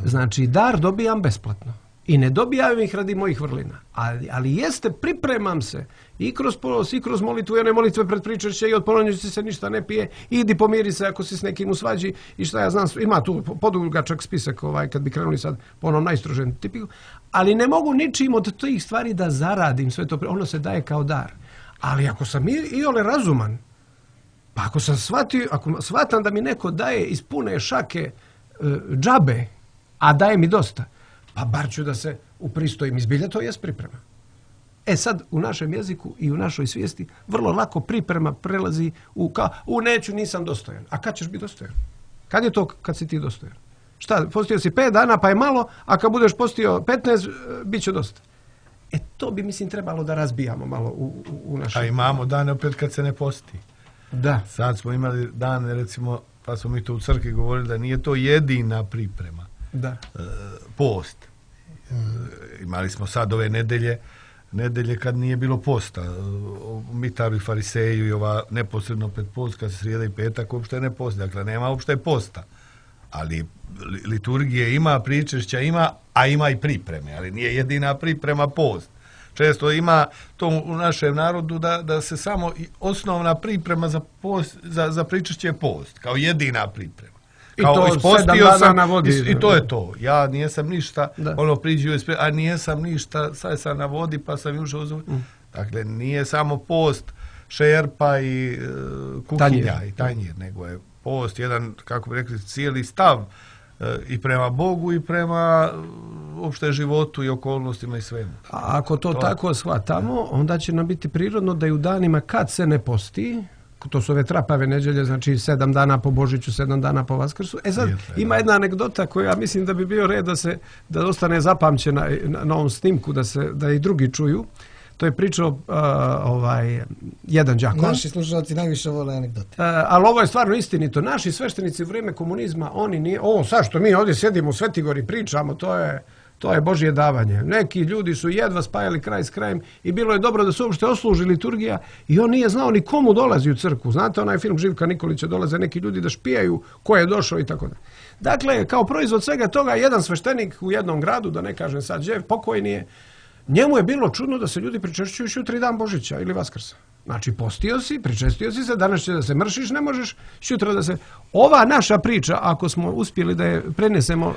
Znači, dar dobijam besplatno. I ne dobijam ih radi mojih vrlina. Ali jeste, pripremam se i kroz polos, i kroz molitvu, one molitve pred pričešće i od polonjeći se ništa ne pije, idi pomiri se ako si s nekim u svađi i šta ja znam, ima tu podugačak spisak kad bi krenuli sad po onom najstrožem tipiku, ali ne mogu ničim od tih stvari da zaradim sve to, ono se daje kao dar. Ali ako sam iole razuman, pa ako sam shvatam da mi neko daje iz pune šake džabe, a daje mi dosta, pa bar ću da se upristojim. Izbilja to jest priprema. Sad, u našem jeziku i u našoj svijesti vrlo lako priprema prelazi u neću, nisam dostojan. A kad ćeš biti dostojan? Kad je to kad si ti dostojan? Šta, postio si 5 dana pa je malo, a kad budeš postio 15, bit će dosta. To bi, mislim, trebalo da razbijamo malo u našem... A imamo dane opet kad se ne posti. Da. Sad smo imali dane, recimo, pa smo mi to u crkvi govorili da nije to jedina priprema. Da. Post. Imali smo sad ove nedelje kad nije bilo posta. Mitaru i Fariseju i ova neposredno pred post, kad se srijeda i petak, uopšte ne posti. Dakle, nema uopšte posta. Ali liturgije ima, pričešća ima, a ima i pripreme. Ali nije jedina priprema post. Često ima to u našem narodu da se samo osnovna priprema za post, za pričešće je post, kao jedina priprema. Kao I to ispostio 7 dana na vodi. I to je to. Ja nijesam ništa, Da. priđu, a nijesam ništa, sad sam na vodi pa sam ušao uz... Dakle, nije samo post šerpa i kuhinja i tanjir, nego je post jedan, kako bi rekli, cijeli stav i prema Bogu i prema uopšte životu i okolnostima i svemu. A ako to tako shvatamo, onda će nam biti prirodno da i u danima kad se ne posti, to su ove trapave neđelje, znači 7 dana po Božiću, 7 dana po Vaskrsu. Sad, ima jedna anegdota koja mislim da bi bio red da ostane zapamćena na ovom snimku, da i drugi čuju. To je pričao jedan đakon. Naši slušalci najviše vole anegdote. Ali ovo je stvarno istinito. Naši sveštenici u vrijeme komunizma, oni nije... Ovo sad što mi ovdje sjedimo u Svetigori pričamo, to je Božje davanje. Neki ljudi su jedva spajali kraj s krajem i bilo je dobro da se uopšte osluži liturgija i on nije znao ni komu dolazi u crkvu. Znate onaj film Živka Nikolića, dolaze neki ljudi da špijaju ko je došao i tako da. Dakle, kao proizvod svega toga, jedan sveštenik u jednom gradu, da ne kažem sad Đev, pokojni je, njemu je bilo čudno da se ljudi pričešćuju šutri dan Božića ili Vaskrsa. Znači, postio si, pričestio si se, danas će da se mršiš, ne možeš šutra da se... Ova naša priča, ako smo uspjeli da je prenesemo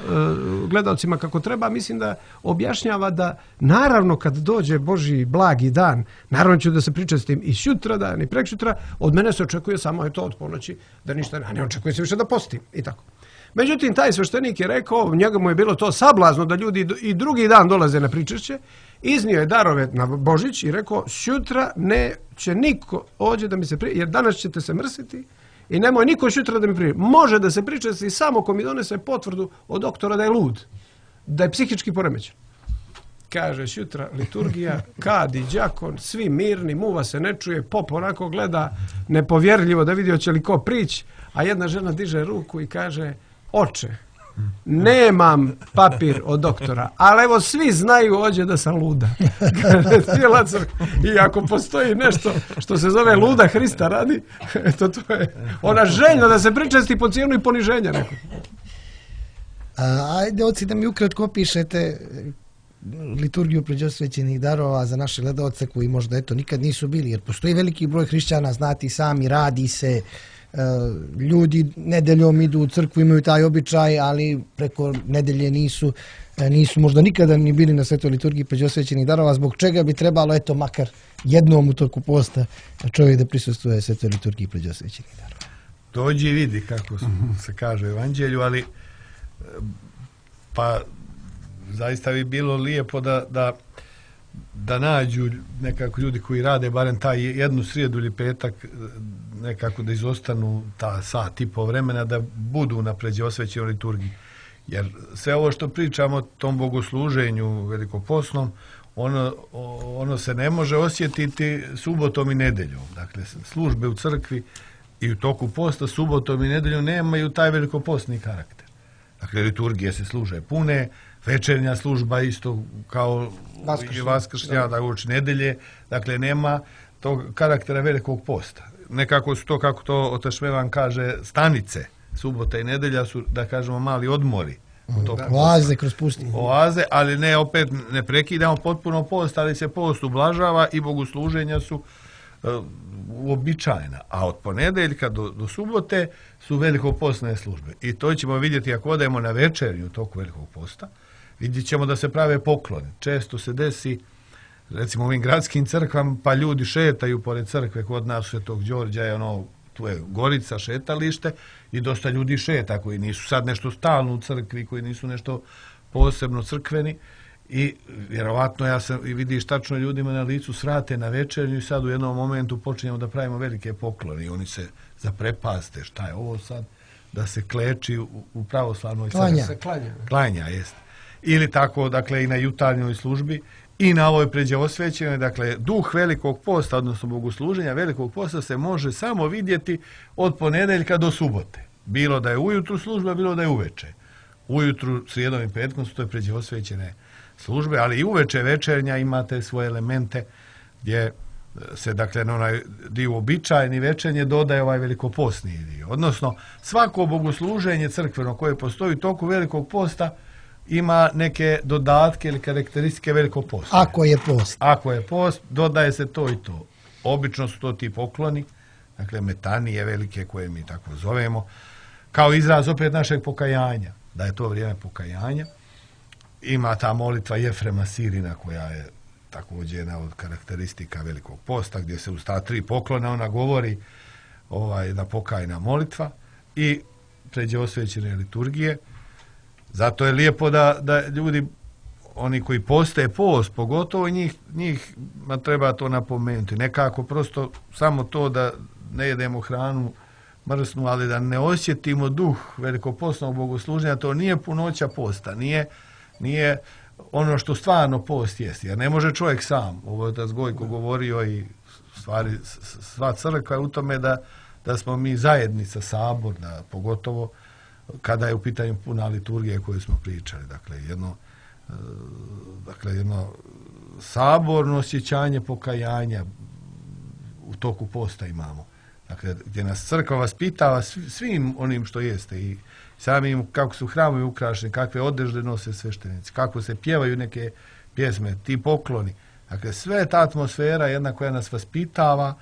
gledalcima kako treba, mislim da objašnjava da naravno kad dođe Božji blagi dan, naravno ću da se pričestim i šutra dan i prekšutra, od mene se očekuje samo je to od ponoći, da ništa ne očekuje se više da postim i tako. Međutim, taj sveštenik je rekao, njemu je bilo to sablazno da ljudi i drugi dan dolaze na pričešće, iznio je darove na Božić i rekao, šutra neće niko ođe da mi se jer danas ćete se mrsiti i nemoj niko šutra da mi prije. Može da se pričesti samo ko mi donese potvrdu od doktora da je lud, da je psihički poremećen. Kaže šutra liturgija, kadi, đakon, svi mirni, muva se ne čuje, pop onako gleda nepovjerljivo da vidi hoće li ko prići, a jedna žena diže ruku i kaže, oče, nemam papir od doktora, ali evo svi znaju ođe da sam luda. I ako postoji nešto što se zove luda Hrista radi, to je ona željna da se pričesti po cijenu i poniženja nekog. Ajde, oci, da mi ukratko opišete liturgiju pređosvećenih darova za naše gledalce koji možda nikad nisu bili, jer postoji veliki broj hrišćana, znati sami, radi se, ljudi nedeljom idu u crkvu, imaju taj običaj, ali preko nedelje nisu možda nikada ni bili na svetoj liturgiji pređosvećenih darova, zbog čega bi trebalo, makar jednom u toku posta čovjek da prisustvuje svetoj liturgiji pređosvećenih darova. Dođi i vidi kako se kaže u evanđelju, ali pa zaista bi bilo lijepo da nađu nekako ljudi koji rade barem taj jednu srijedu ili petak, nekako da izostanu ta sat i po vremena da budu na pređosvećenoj liturgiji. Jer sve ovo što pričamo o tom bogosluženju velikoposnom, ono se ne može osjetiti subotom i nedeljom. Dakle, službe u crkvi i u toku posta subotom i nedeljom nemaju taj velikopostni karakter. Dakle, liturgije se služe pune, večernja služba isto kao i vaskršnja, nedelje, dakle nema tog karaktera velikog posta. Nekako su to, kako to otac Šmevan kaže, stanice, subota i nedelja su, da kažemo, mali odmori. Oaze kroz pustinju. Oaze, ali ne prekidamo potpuno post, ali se post ublažava i bogosluženja su uobičajena. A od ponedeljka do subote su velikopostne službe. I to ćemo vidjeti ako odemo na večernju toku velikog posta. Vidjet ćemo da se prave pokloni. Često se desi, recimo u ovim gradskim crkvama, pa ljudi šetaju pored crkve, kod nas Svetog Đorđa je tu je Gorica, šetalište i dosta ljudi šeta koji nisu sad nešto stalno u crkvi, koji nisu nešto posebno crkveni i vjerovatno vidiš tačno ljudima na licu srate na večernju i sad u jednom momentu počinjemo da pravimo velike poklone i oni se zaprepaste, šta je ovo sad, da se kleči u pravoslavnoj crkvi. Klanja. Klanja, jest. Ili tako, dakle, i na jutarnjoj službi i na ovoj pređe osvećenoj. Dakle, duh velikog posta, odnosno bogosluženja velikog posta se može samo vidjeti od ponedjeljka do subote. Bilo da je ujutru služba, bilo da je uveče. Ujutru, srijedom i petkom su to pređe osvećene službe, ali i uveče večernja imate svoje elemente gdje se, dakle, na onaj dio običajni večernje dodaje ovaj velikopostni dio. Odnosno, svako bogosluženje crkveno koje postoji u toku velikog posta ima neke dodatke ili karakteristike velikog posta. Ako je post. Ako je post, dodaje se to i to. Obično su to ti pokloni, dakle metanije velike koje mi tako zovemo, kao izraz opet našeg pokajanja, da je to vrijeme pokajanja. Ima ta molitva Jefrema Sirina koja je također jedna od karakteristika velikog posta, gdje se uz ta 3 poklona ona govori jedna pokajna molitva i pređe osvećene liturgije. Zato je lijepo da ljudi, oni koji poste post, pogotovo njih treba to napomenuti. Nekako prosto samo to da ne jedemo hranu mrsnu, ali da ne osjetimo duh velikopostnog bogosluženja, to nije punoća posta, nije ono što stvarno post jest. Jer ne može čovjek sam, ovo je otac Gojko govorio i stvari, sva crkva je u tome da smo mi zajednica, sabor, da pogotovo kada je u pitanju puna liturgija koju smo pričali. Dakle, jedno saborno osjećanje pokajanja u toku posta imamo. Dakle, gdje nas crkva vaspitava svim onim što jeste i samim kako su hramovi ukrašeni, kakve odežde nose sveštenici, kako se pjevaju neke pjesme, ti pokloni. Dakle, sve ta atmosfera jedna koja nas vaspitava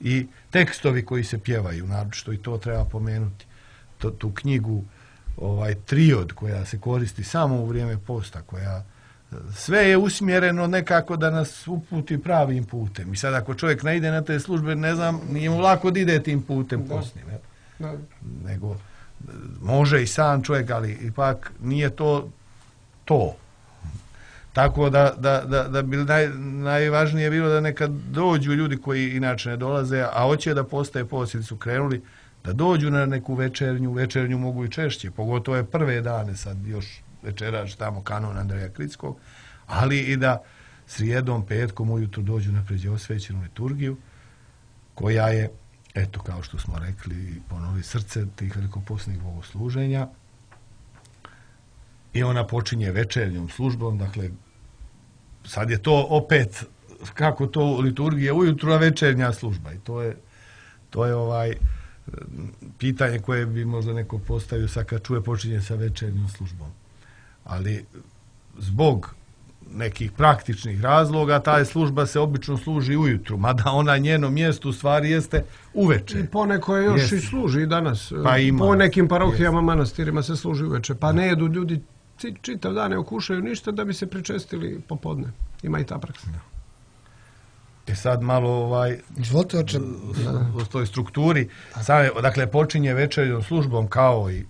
i tekstovi koji se pjevaju, naročito i to treba pomenuti. Tu knjigu, Triod koja se koristi samo u vrijeme posta, koja sve je usmjereno nekako da nas uputi pravim putem. I sad ako čovjek ne ide na te službe, ne znam, nije mu lako da ide tim putem postnim. Nego može i sam čovjek, ali ipak nije to. Tako da bi najvažnije bilo da nekad dođu ljudi koji inače ne dolaze, a hoće da postaje post ili su krenuli, da dođu na neku večernju mogu i češće, pogotovo je prve dane, sad još večeraš tamo kanon Andreja Kritskog, ali i da srijedom, petkom ujutru dođu na pređe osvećenu liturgiju, koja je, eto, kao što smo rekli, ponovi srce tih velikopostnih bogosluženja, i ona počinje večernjom službom. Dakle, sad je to opet, kako to liturgija ujutru, a večernja služba. I to je pitanje koje bi možda neko postavio sad kad čuje počinje sa večernjom službom. Ali zbog nekih praktičnih razloga ta služba se obično služi ujutru, mada ona njeno mjesto u stvari jeste uveče. I poneko je još i služi i danas. Pa po nekim parohijama, manastirima se služi uveče. Pa ne jedu ljudi čitav dan, ne okušaju ništa da bi se pričestili popodne. Ima i ta praksa. Sad malo u toj strukturi, dakle počinje večernjom službom kao i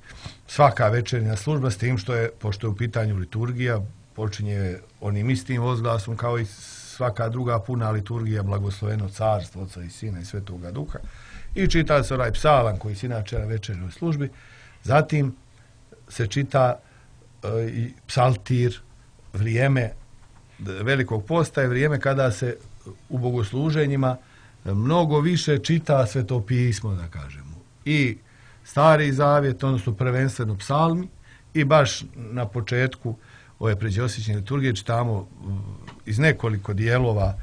svaka večernja služba, s tim što je, pošto je u pitanju liturgija, počinje onim istim ozglasom kao i svaka druga puna liturgija, blagosloveno carstvo Oca i Sina i Svetoga Duha, i čita se onaj psalam koji se inače na večernjoj službi. Zatim se čita i psaltir. Vrijeme velikog posta je vrijeme kada se u bogosluženjima mnogo više čita Sveto pismo, da kažemo. I Stari zavjet, odnosno prvenstveno psalmi, i baš na početku ove pređe osvećene liturgije čitamo iz nekoliko dijelova,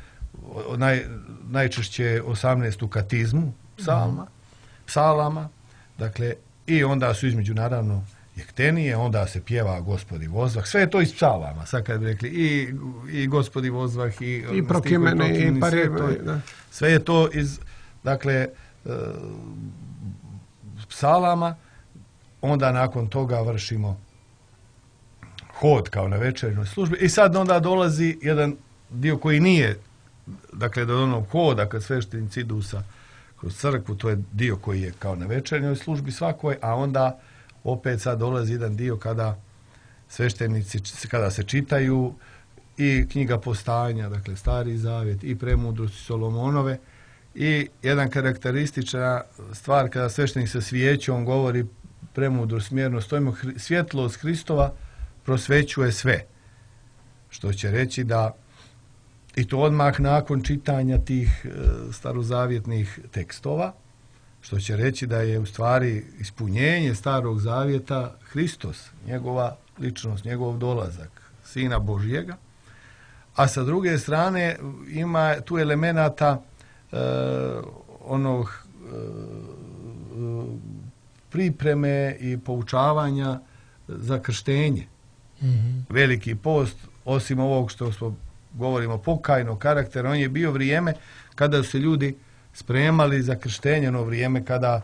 najčešće 18. katizmu psalama, dakle, i onda su između naravno jektenije, onda se pjeva Gospodi vozvah, sve je to iz psalama, sad kad bi rekli i Gospodi vozvah i prokimene i parjeve, sve je to iz, dakle, psalama. Onda nakon toga vršimo hod kao na večernjoj službi i sad onda dolazi jedan dio koji nije, dakle, do onog hoda kad sveštenici idu kroz crkvu, to je dio koji je kao na večernjoj službi svakoj, a onda opet sad dolazi jedan dio kada sveštenici, kada se čitaju i knjiga Postanja, dakle Stari zavjet, i Premudrosti Solomonove, i jedan karakteristična stvar kada sveštenik sa svijećom govori premudro smjerno stojimo, svjetlost Hristova prosvećuje sve. Što će reći da i to odmah nakon čitanja tih starozavjetnih tekstova, što će reći da je u stvari ispunjenje Starog Zavjeta Hristos, njegova ličnost, njegov dolazak, Sina Božjega, a sa druge strane ima tu elemenata onog pripreme i poučavanja za krštenje. Veliki post, osim ovog što govorimo pokajnog karaktera, on je bio vrijeme kada su se ljudi spremali za krštenje, ono vrijeme kada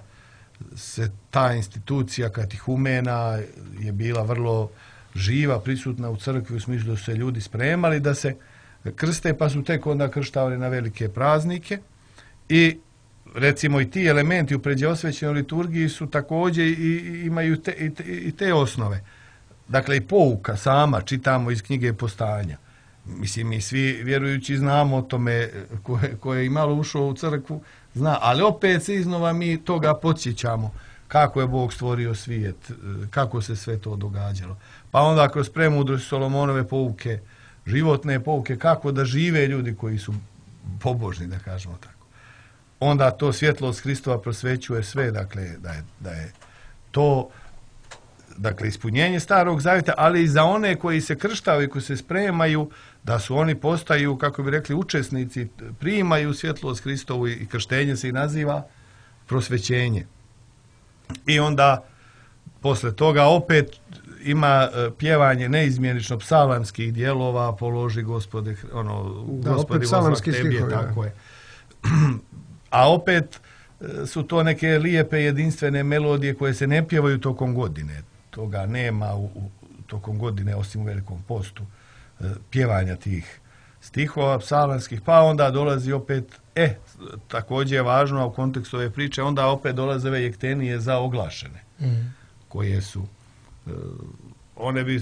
se ta institucija katihumena je bila vrlo živa, prisutna u crkvi, u smislu da su se ljudi spremali da se krste, pa su tek onda krštavali na velike praznike. I recimo i ti elementi u pređeosvećenoj liturgiji su također imaju te osnove. Dakle, i pouka sama čitamo iz knjige Postanja. Mislim, mi svi vjerujući znamo o tome, ko je i malo ušao u crkvu, zna, ali opet se iznova mi toga podsjećamo kako je Bog stvorio svijet, kako se sve to događalo. Pa onda kroz premudrost Solomonove pouke, životne pouke, kako da žive ljudi koji su pobožni, da kažemo tako. Onda to svjetlost Hristova prosvećuje sve, dakle, da je to, dakle, ispunjenje Starog Zavjeta, ali i za one koji se krštavaju i koji se spremaju, da su oni postaju, kako bi rekli, učesnici, primaju svjetlost Hristovu i krštenje se i naziva prosvećenje. I onda posle toga opet ima pjevanje neizmjenično psalamskih dijelova, položi Gospode, Gospodi vozvah tebi, tako je. A opet su to neke lijepe jedinstvene melodije koje se ne pjevaju tokom godine. Toga nema tokom godine, osim u Velikom postu, pjevanja tih stihova psalamskih, pa onda dolazi opet, također je važno, a u kontekstu ove priče, onda opet dolaze ove jektenije za oglašene, koje su,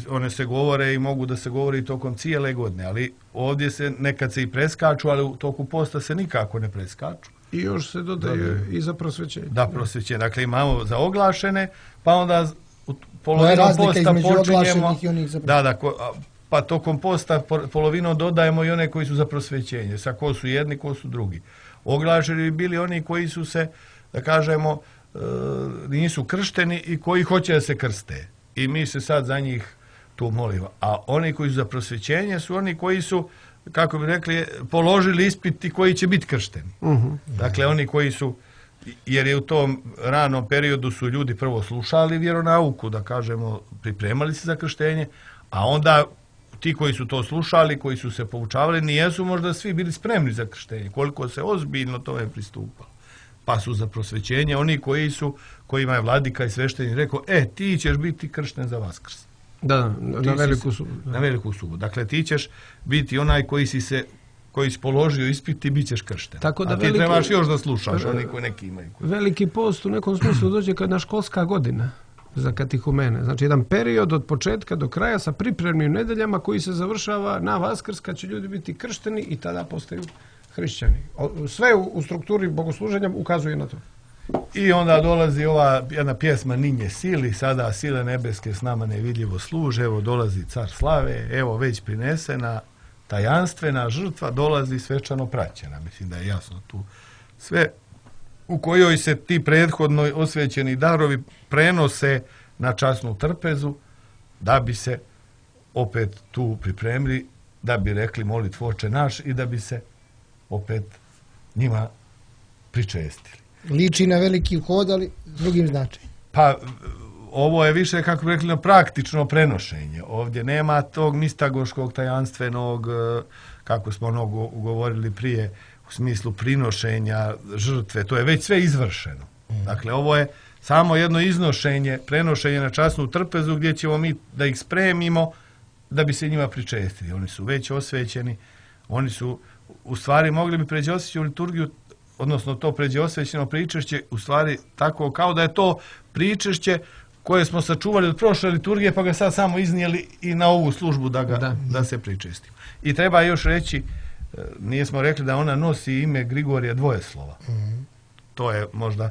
one se govore i mogu da se govori tokom cijele godine, ali ovdje se nekad se i preskaču, ali u toku posta se nikako ne preskaču. I još se dodaje i za prosvećenje. Da, prosvećenje. Dakle, imamo za oglašene, pa onda polovinom posta počinjemo. Pa tokom posta polovinom dodajemo i one koji su za prosvećenje. Sa ko su jedni, ko su drugi. Oglašeni bi bili oni koji su se, da kažemo, nisu kršteni i koji hoće da se krste. I mi se sad za njih tu molimo. A oni koji su za prosvećenje su oni koji su, kako bi rekli, položili ispit i koji će biti kršteni. Dakle, oni koji su, jer je u tom ranom periodu su ljudi prvo slušali vjeronauku, da kažemo, pripremali se za krštenje, a onda ti koji su to slušali, koji su se poučavali, nijesu možda svi bili spremni za krštenje, koliko se ozbiljno tome pristupalo. Pa su za prosvećenje oni kojima je vladika i sveštenik rekao, ti ćeš biti kršten za Vaskrs. Da, na veliku subotu. Na veliku subotu. Dakle, ti ćeš biti onaj koji si položio ispit i bit ćeš kršten. Tako da a ti trebaš još da slušaš, oni koji neki imaju. Veliki post u nekom smislu dođe kad na školska godina za katihumene. Znači, jedan period od početka do kraja sa pripremnim nedeljama koji se završava na Vaskrs kad će ljudi biti kršteni i tada postaju hrišćani. Sve u strukturi bogosluženja ukazuje na to. I onda dolazi ova jedna pjesma Ninje sili, sada sile nebeske s nama nevidljivo služe, evo dolazi car slave, evo već prinesena tajanstvena žrtva, dolazi svečano praćena. Mislim da je jasno tu sve, u kojoj se ti prethodno osvećeni darovi prenose na časnu trpezu, da bi se opet tu pripremili, da bi rekli molitvu Oče naš i da bi se opet njima pričestili. Liči na veliki hod, ali s drugim značajem. Pa, ovo je više, kako bi rekli, praktično prenošenje. Ovdje nema tog mistagoškog, tajanstvenog, kako smo mnogo govorili prije, u smislu prinošenja žrtve. To je već sve izvršeno. Dakle, ovo je samo jedno iznošenje, prenošenje na časnu trpezu gdje ćemo mi da ih spremimo da bi se njima pričestili. Oni su već osvećeni, oni su, u stvari, mogli bi pređi osvećenu liturgiju, odnosno to pređe osvećeno pričešće, u stvari tako kao da je to pričešće koje smo sačuvali od prošle liturgije, pa ga sad samo iznijeli i na ovu službu da se pričestimo. I treba još reći, nismo rekli da ona nosi ime Grigorija Dvojeslova. To je možda,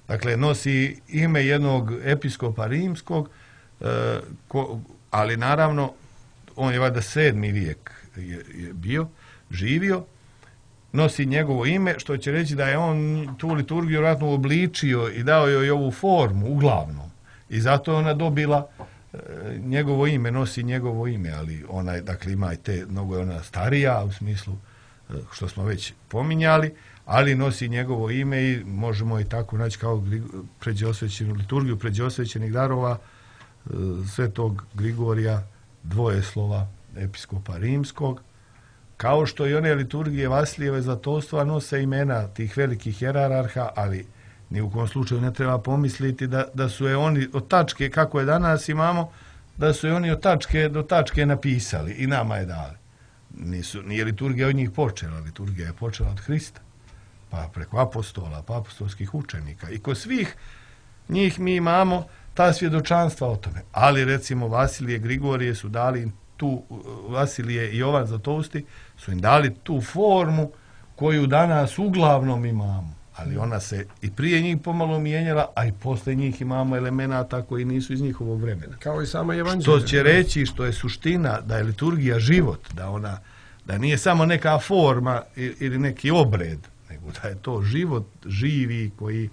dakle, nosi ime jednog episkopa rimskog, ali naravno, on je valjda 7. vijek je bio, živio, nosi njegovo ime, što će reći da je on tu liturgiju vjerojatno uobličio i dao joj ovu formu, uglavnom. I zato je ona dobila njegovo ime, nosi njegovo ime, ali ona je, dakle, ima i te, mnogo je ona starija, u smislu što smo već pominjali, ali nosi njegovo ime i možemo i tako naći kao pređeosvećenu liturgiju, pređeosvećenih darova svetog Grigorija Dvojeslova, episkopa rimskog, kao što i one liturgije Vasilijeve Zlatovstva nose imena tih velikih jerarha, ali ni u kom slučaju ne treba pomisliti da su je oni od tačke, kako je danas imamo, da su je oni od tačke do tačke napisali i nama je dali. Nije liturgija od njih počela, liturgija je počela od Hrista, pa preko apostola, pa apostolskih učenika. I kod svih njih mi imamo ta svjedočanstva o tome. Ali recimo Vasilije, Grigorije su dali tu, Vasilije i Jovan Zlatovsti su im dali tu formu koju danas uglavnom imamo. Ali ona se i prije njih pomalo mijenjala, a i posle njih imamo elemenata koji nisu iz njihovog vremena. Kao i sama evanđelja. Što će reći, što je suština, da je liturgija život, da nije samo neka forma ili neki obred, nego da je to život živi koji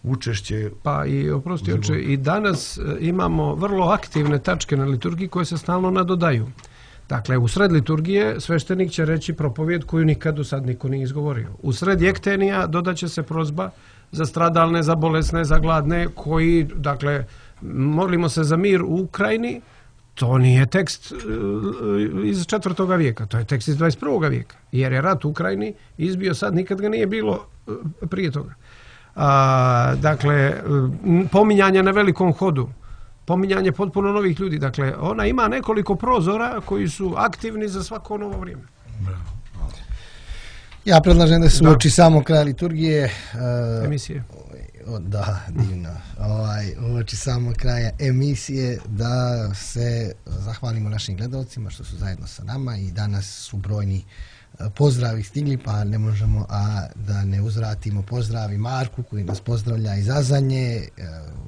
učešće. Pa i oprosti oče, i danas imamo vrlo aktivne tačke na liturgiji koje se stalno nadodaju. Dakle, u sred liturgije sveštenik će reći propovijed koju nikad do sad niko nije izgovorio. U sred jektenija dodaće se prozba za stradalne, za bolesne, za gladne, koji, dakle, molimo se za mir u Ukrajini. To nije tekst iz 4. vijeka, to je tekst iz 21. vijeka. Jer je rat u Ukrajini izbio sad, nikad ga nije bilo prije toga. Dakle, pominjanje na velikom hodu, pominjanje potpuno novih ljudi. Dakle, ona ima nekoliko prozora koji su aktivni za svako novo vrijeme. Ja predlažem da se uoči samo kraja liturgije. Emisije. Da, divno. Uoči samo kraja emisije da se zahvalimo našim gledalcima što su zajedno sa nama i danas su brojni pozdravi stigli, pa ne možemo da ne uzvratimo pozdravi Marku koji nas pozdravlja iz Azanje,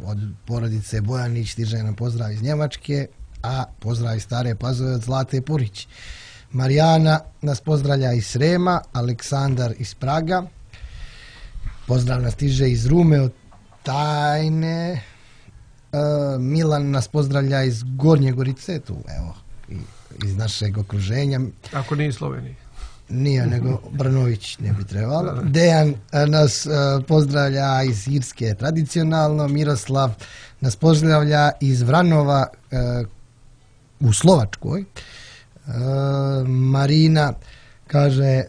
od porodice Bojanić stiže nam pozdrav iz Njemačke, a pozdrav iz Stare Pazove od Zlate Purić. Marijana nas pozdravlja iz Srema, Aleksandar iz Praga, pozdrav nas stiže iz Rume od Tajne, Milan nas pozdravlja iz Gornje Gorice, tu evo, iz našeg okruženja. Ako nije Sloveniji. Nije, nego Brnović ne bi trebalo. Dejan nas pozdravlja iz Irske tradicionalno, Miroslav nas pozdravlja iz Vranova u Slovačkoj. Marina kaže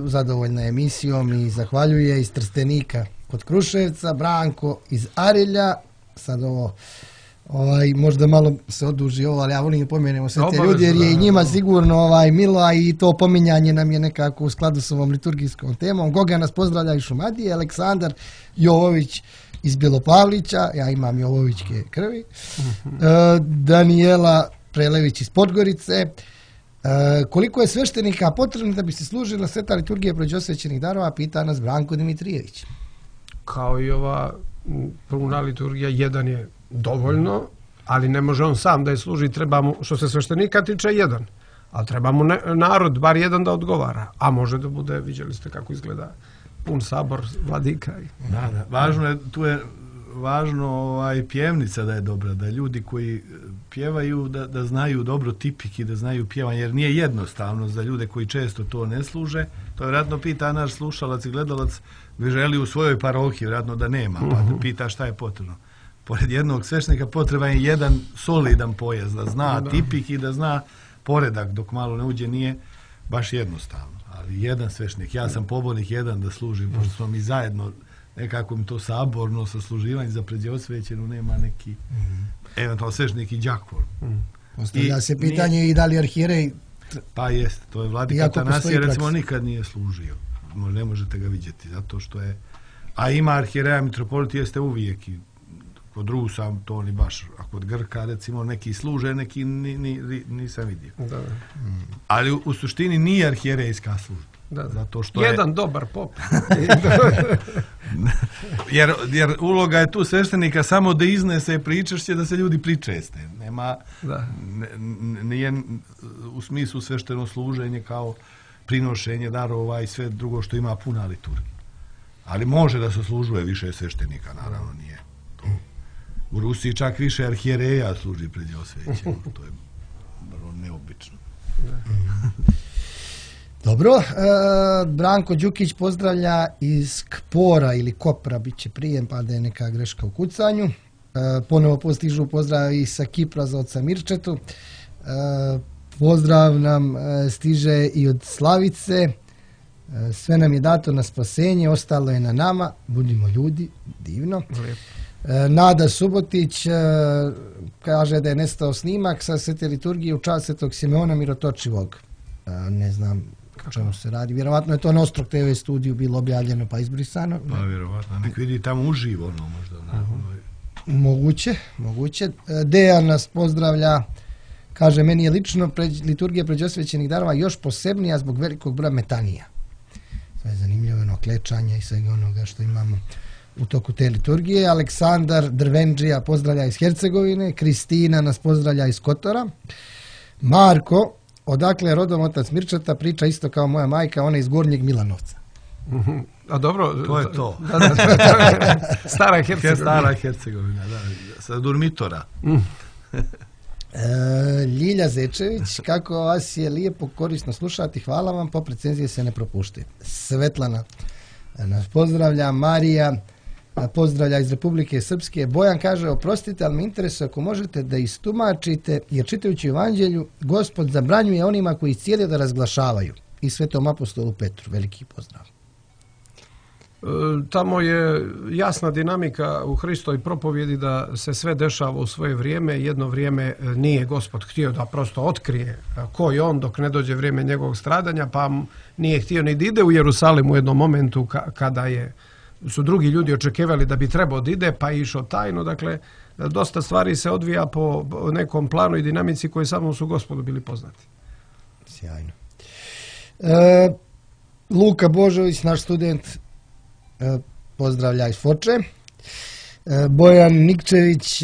zadovoljna emisijom i zahvaljuje iz Trstenika kod Kruševca, Branko iz Arilja, sad ovo možda malo se oduži ovo, ali ja volim pomenemo sve te ljudi jer je i njima sigurno milo, a i to pominjanje nam je nekako u skladu s ovom liturgijskom temom. Goga nas pozdravlja iz Šumadije, Aleksandar Jovović iz Bjelopavlića, ja imam Jovovićke krvi, Daniela Prelević iz Podgorice. Koliko je sveštenika potrebno da bi se služila sveta liturgija pređeosvećenih darova, pita nas Branko Dimitrijević. Kao i ova puna liturgija, jedan je dovoljno, ali ne može on sam da je služi, treba mu, što se sveštenika tiče, jedan. Ali treba mu narod, bar jedan da odgovara. A može da bude, vidjeli ste kako izgleda pun sabor vladika. Da. Važno je, tu je važno pjevnica da je dobra, da ljudi koji pjevaju da znaju dobro tipik i da znaju pjevanje, jer nije jednostavno za ljude koji često to ne služe. To vjerojatno pita naš slušalac i gledalac, vi želi u svojoj parohiji, vjerojatno da nema, pa da pita šta je potrebno. Pored jednog sveštenika potreban je jedan solidan pojas, da zna tipik i da zna poredak, dok malo ne uđe nije baš jednostavno. Ali jedan sveštenik, ja sam pobornik jedan da služim, pošto smo mi zajedno, nekako mi to saborno sasluživanje za pređeosvećenu, nema neki eventualno sveštenik i đakon. Postavlja se pitanje i da li arhijerej... Pa jeste, to je vladika Atanasije, recimo nikad nije služio. Ne možete ga vidjeti, zato što je... A ima arhijereja, mitropolit jeste uvijek i kod Rusa to ni baš, a kod Grka recimo neki služe, neki nisam vidio. Ali u suštini nije arhijerejska služba. Da. Zato što jedan dobar pop. jer uloga je tu sveštenika samo da iznese pričašće, da se ljudi pričeste. Nema, nije u smislu svešteno služenje kao prinošenje darova i sve drugo što ima puna liturgija. Ali može da se služuje više sveštenika, naravno nije to. U Rusiji čak više arhijereja služi pred osvećenim. To je vrlo neobično. Dobro, Branko Đukić pozdravlja iz Kpora ili Kopra, bit će prijem, pa da je neka greška u kucanju. Ponovo postižu pozdrav i sa Kipra za oca Mirčetu. Pozdrav nam stiže i od Slavice. Sve nam je dato na spasenje, ostalo je na nama. Budimo ljudi, divno. Nada Subotić kaže da je nestao snimak sa Svete liturgije u čast Svetog Simeona Mirotočivog. Ne znam o čemu se radi. Vjerovatno je to na Ostrog TV studiju bilo objavljeno pa izbrisano. Pa vjerovatno. Nek vidi tamo uživo ono možda. Moguće. Dejan nas pozdravlja. Kaže, meni je lično liturgija pređosvećenih darova još posebnija zbog velikog broja metanija. Sve je zanimljivo, ono klečanje i svega onoga što imamo u toku te liturgije. Aleksandar Drvenđija pozdravlja iz Hercegovine. Kristina nas pozdravlja iz Kotora. Marko, odakle je rodom otac Mirčeta, priča isto kao moja majka, ona iz Gornjeg Milanovca. A dobro, to je to. Stara Hercegovina, da, sa Durmitora. Ljilja Zečević, kako vas je lijepo korisno slušati, hvala vam, po recenzije se ne propušte. Svetlana nas pozdravlja, Marija pozdravlja iz Republike Srpske. Bojan kaže, oprostite, ali me interesuje ako možete da istumačite, jer čitajući Evanđelju, Gospod zabranjuje onima koji cijeli da razglašavaju. I Svetom apostolu Petru, veliki pozdrav. Tamo je jasna dinamika u Hristovoj propovjedi da se sve dešava u svoje vrijeme. Jedno vrijeme nije Gospod htio da prosto otkrije ko je on dok ne dođe vrijeme njegovog stradanja, pa nije htio ni da ide u Jerusalim u jednom momentu kada su drugi ljudi očekivali da bi trebao da ide, pa je išao tajno. Dakle, dosta stvari se odvija po nekom planu i dinamici koji samo su Gospodu bili poznati. Sjajno. Luka Božović, naš student, pozdravlja iz Foče. Bojan Nikčević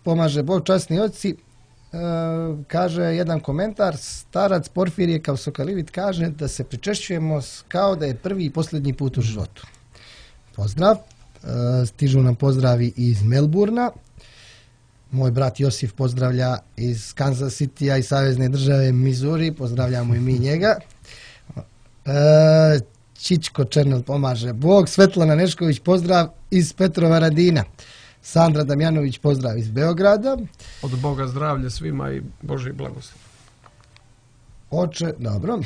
pomaže Bog, časni oci. Kaže jedan komentar, starac Porfirije kao Sokalivit kaže da se pričešćujemo kao da je prvi i posljednji put u životu. Pozdrav. Stižu nam pozdravi iz Melburna. Moj brat Josif pozdravlja iz Kansas Citya i savezne države Missouri. Pozdravljamo i mi njega. Čičko Černel pomaže Bog. Svetlana Nešković pozdrav iz Petrova Radina. Sandra Damjanović pozdrav iz Beograda. Od Boga zdravlje svima i Božji blagoslov. Oče, dobro.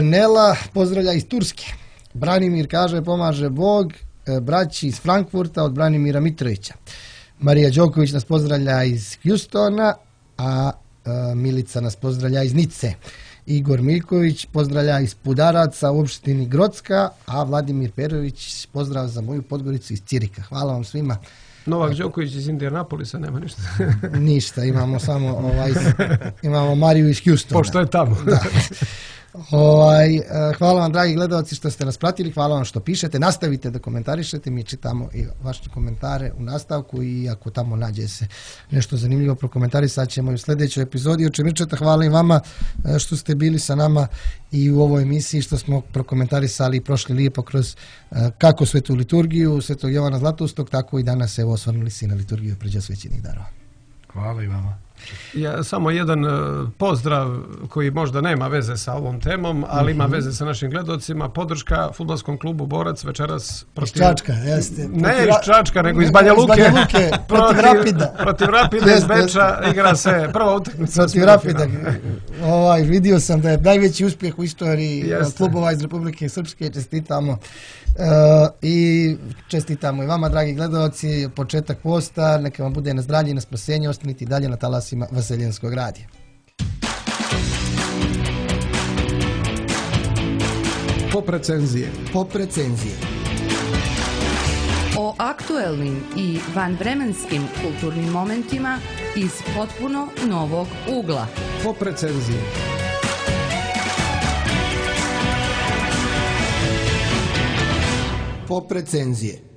Nela pozdravlja iz Turske. Branimir kaže pomaže Bog. Braći iz Frankfurta od Branimira Mitrovića. Marija Đoković nas pozdravlja iz Hjustona, a Milica nas pozdravlja iz Nice. Igor Miljković pozdravlja iz Pudaraca u opštini Grocka, a Vladimir Perović pozdrav za moju Podgoricu iz Cirika. Hvala vam svima. Novak Đoković iz Indianapolisa nema ništa. Ništa, imamo samo imamo Mariju iz Hjustona. Pošto je tamo. Da. Hvala vam, dragi gledalci, što ste nas pratili, hvala vam što pišete, nastavite da komentarišete, mi čitamo i vaše komentare u nastavku i ako tamo nađe se nešto zanimljivo prokomentarisat ćemo i u sljedećoj epizodi. Oče Mirčeta, hvala i vama što ste bili sa nama i u ovoj emisiji, što smo prokomentarisali i prošli lijepo kroz kako svetu liturgiju Svetog Jovana Zlatoustog, tako i danas evo osvrnuli se na liturgiju pređosvećenih darova. Hvala i vama. Ja, samo jedan pozdrav koji možda nema veze sa ovom temom, ali ima veze sa našim gledocima. Podrška fudbalskom klubu Borac večeras protiv... Iz Čačka, jeste. Ne iz Čačka, nego iz Banja Luke. Protiv Rapida. Protiv Rapida iz Beča igra se prva utakmica. Protiv Rapida. Vidio sam da je najveći uspjeh u istoriji klubova iz Republike Srpske. Čestitamo. I čestitamo i vama, dragi gledalci, početak posta, neka vam bude na zdravlje i na spasenje, ostanite i dalje na talasima Vaseljenskog radija. Pop recenzije. O aktuelnim i vanvremenskim kulturnim momentima iz potpuno novog ugla. Pop recenzije. Pop recenzije.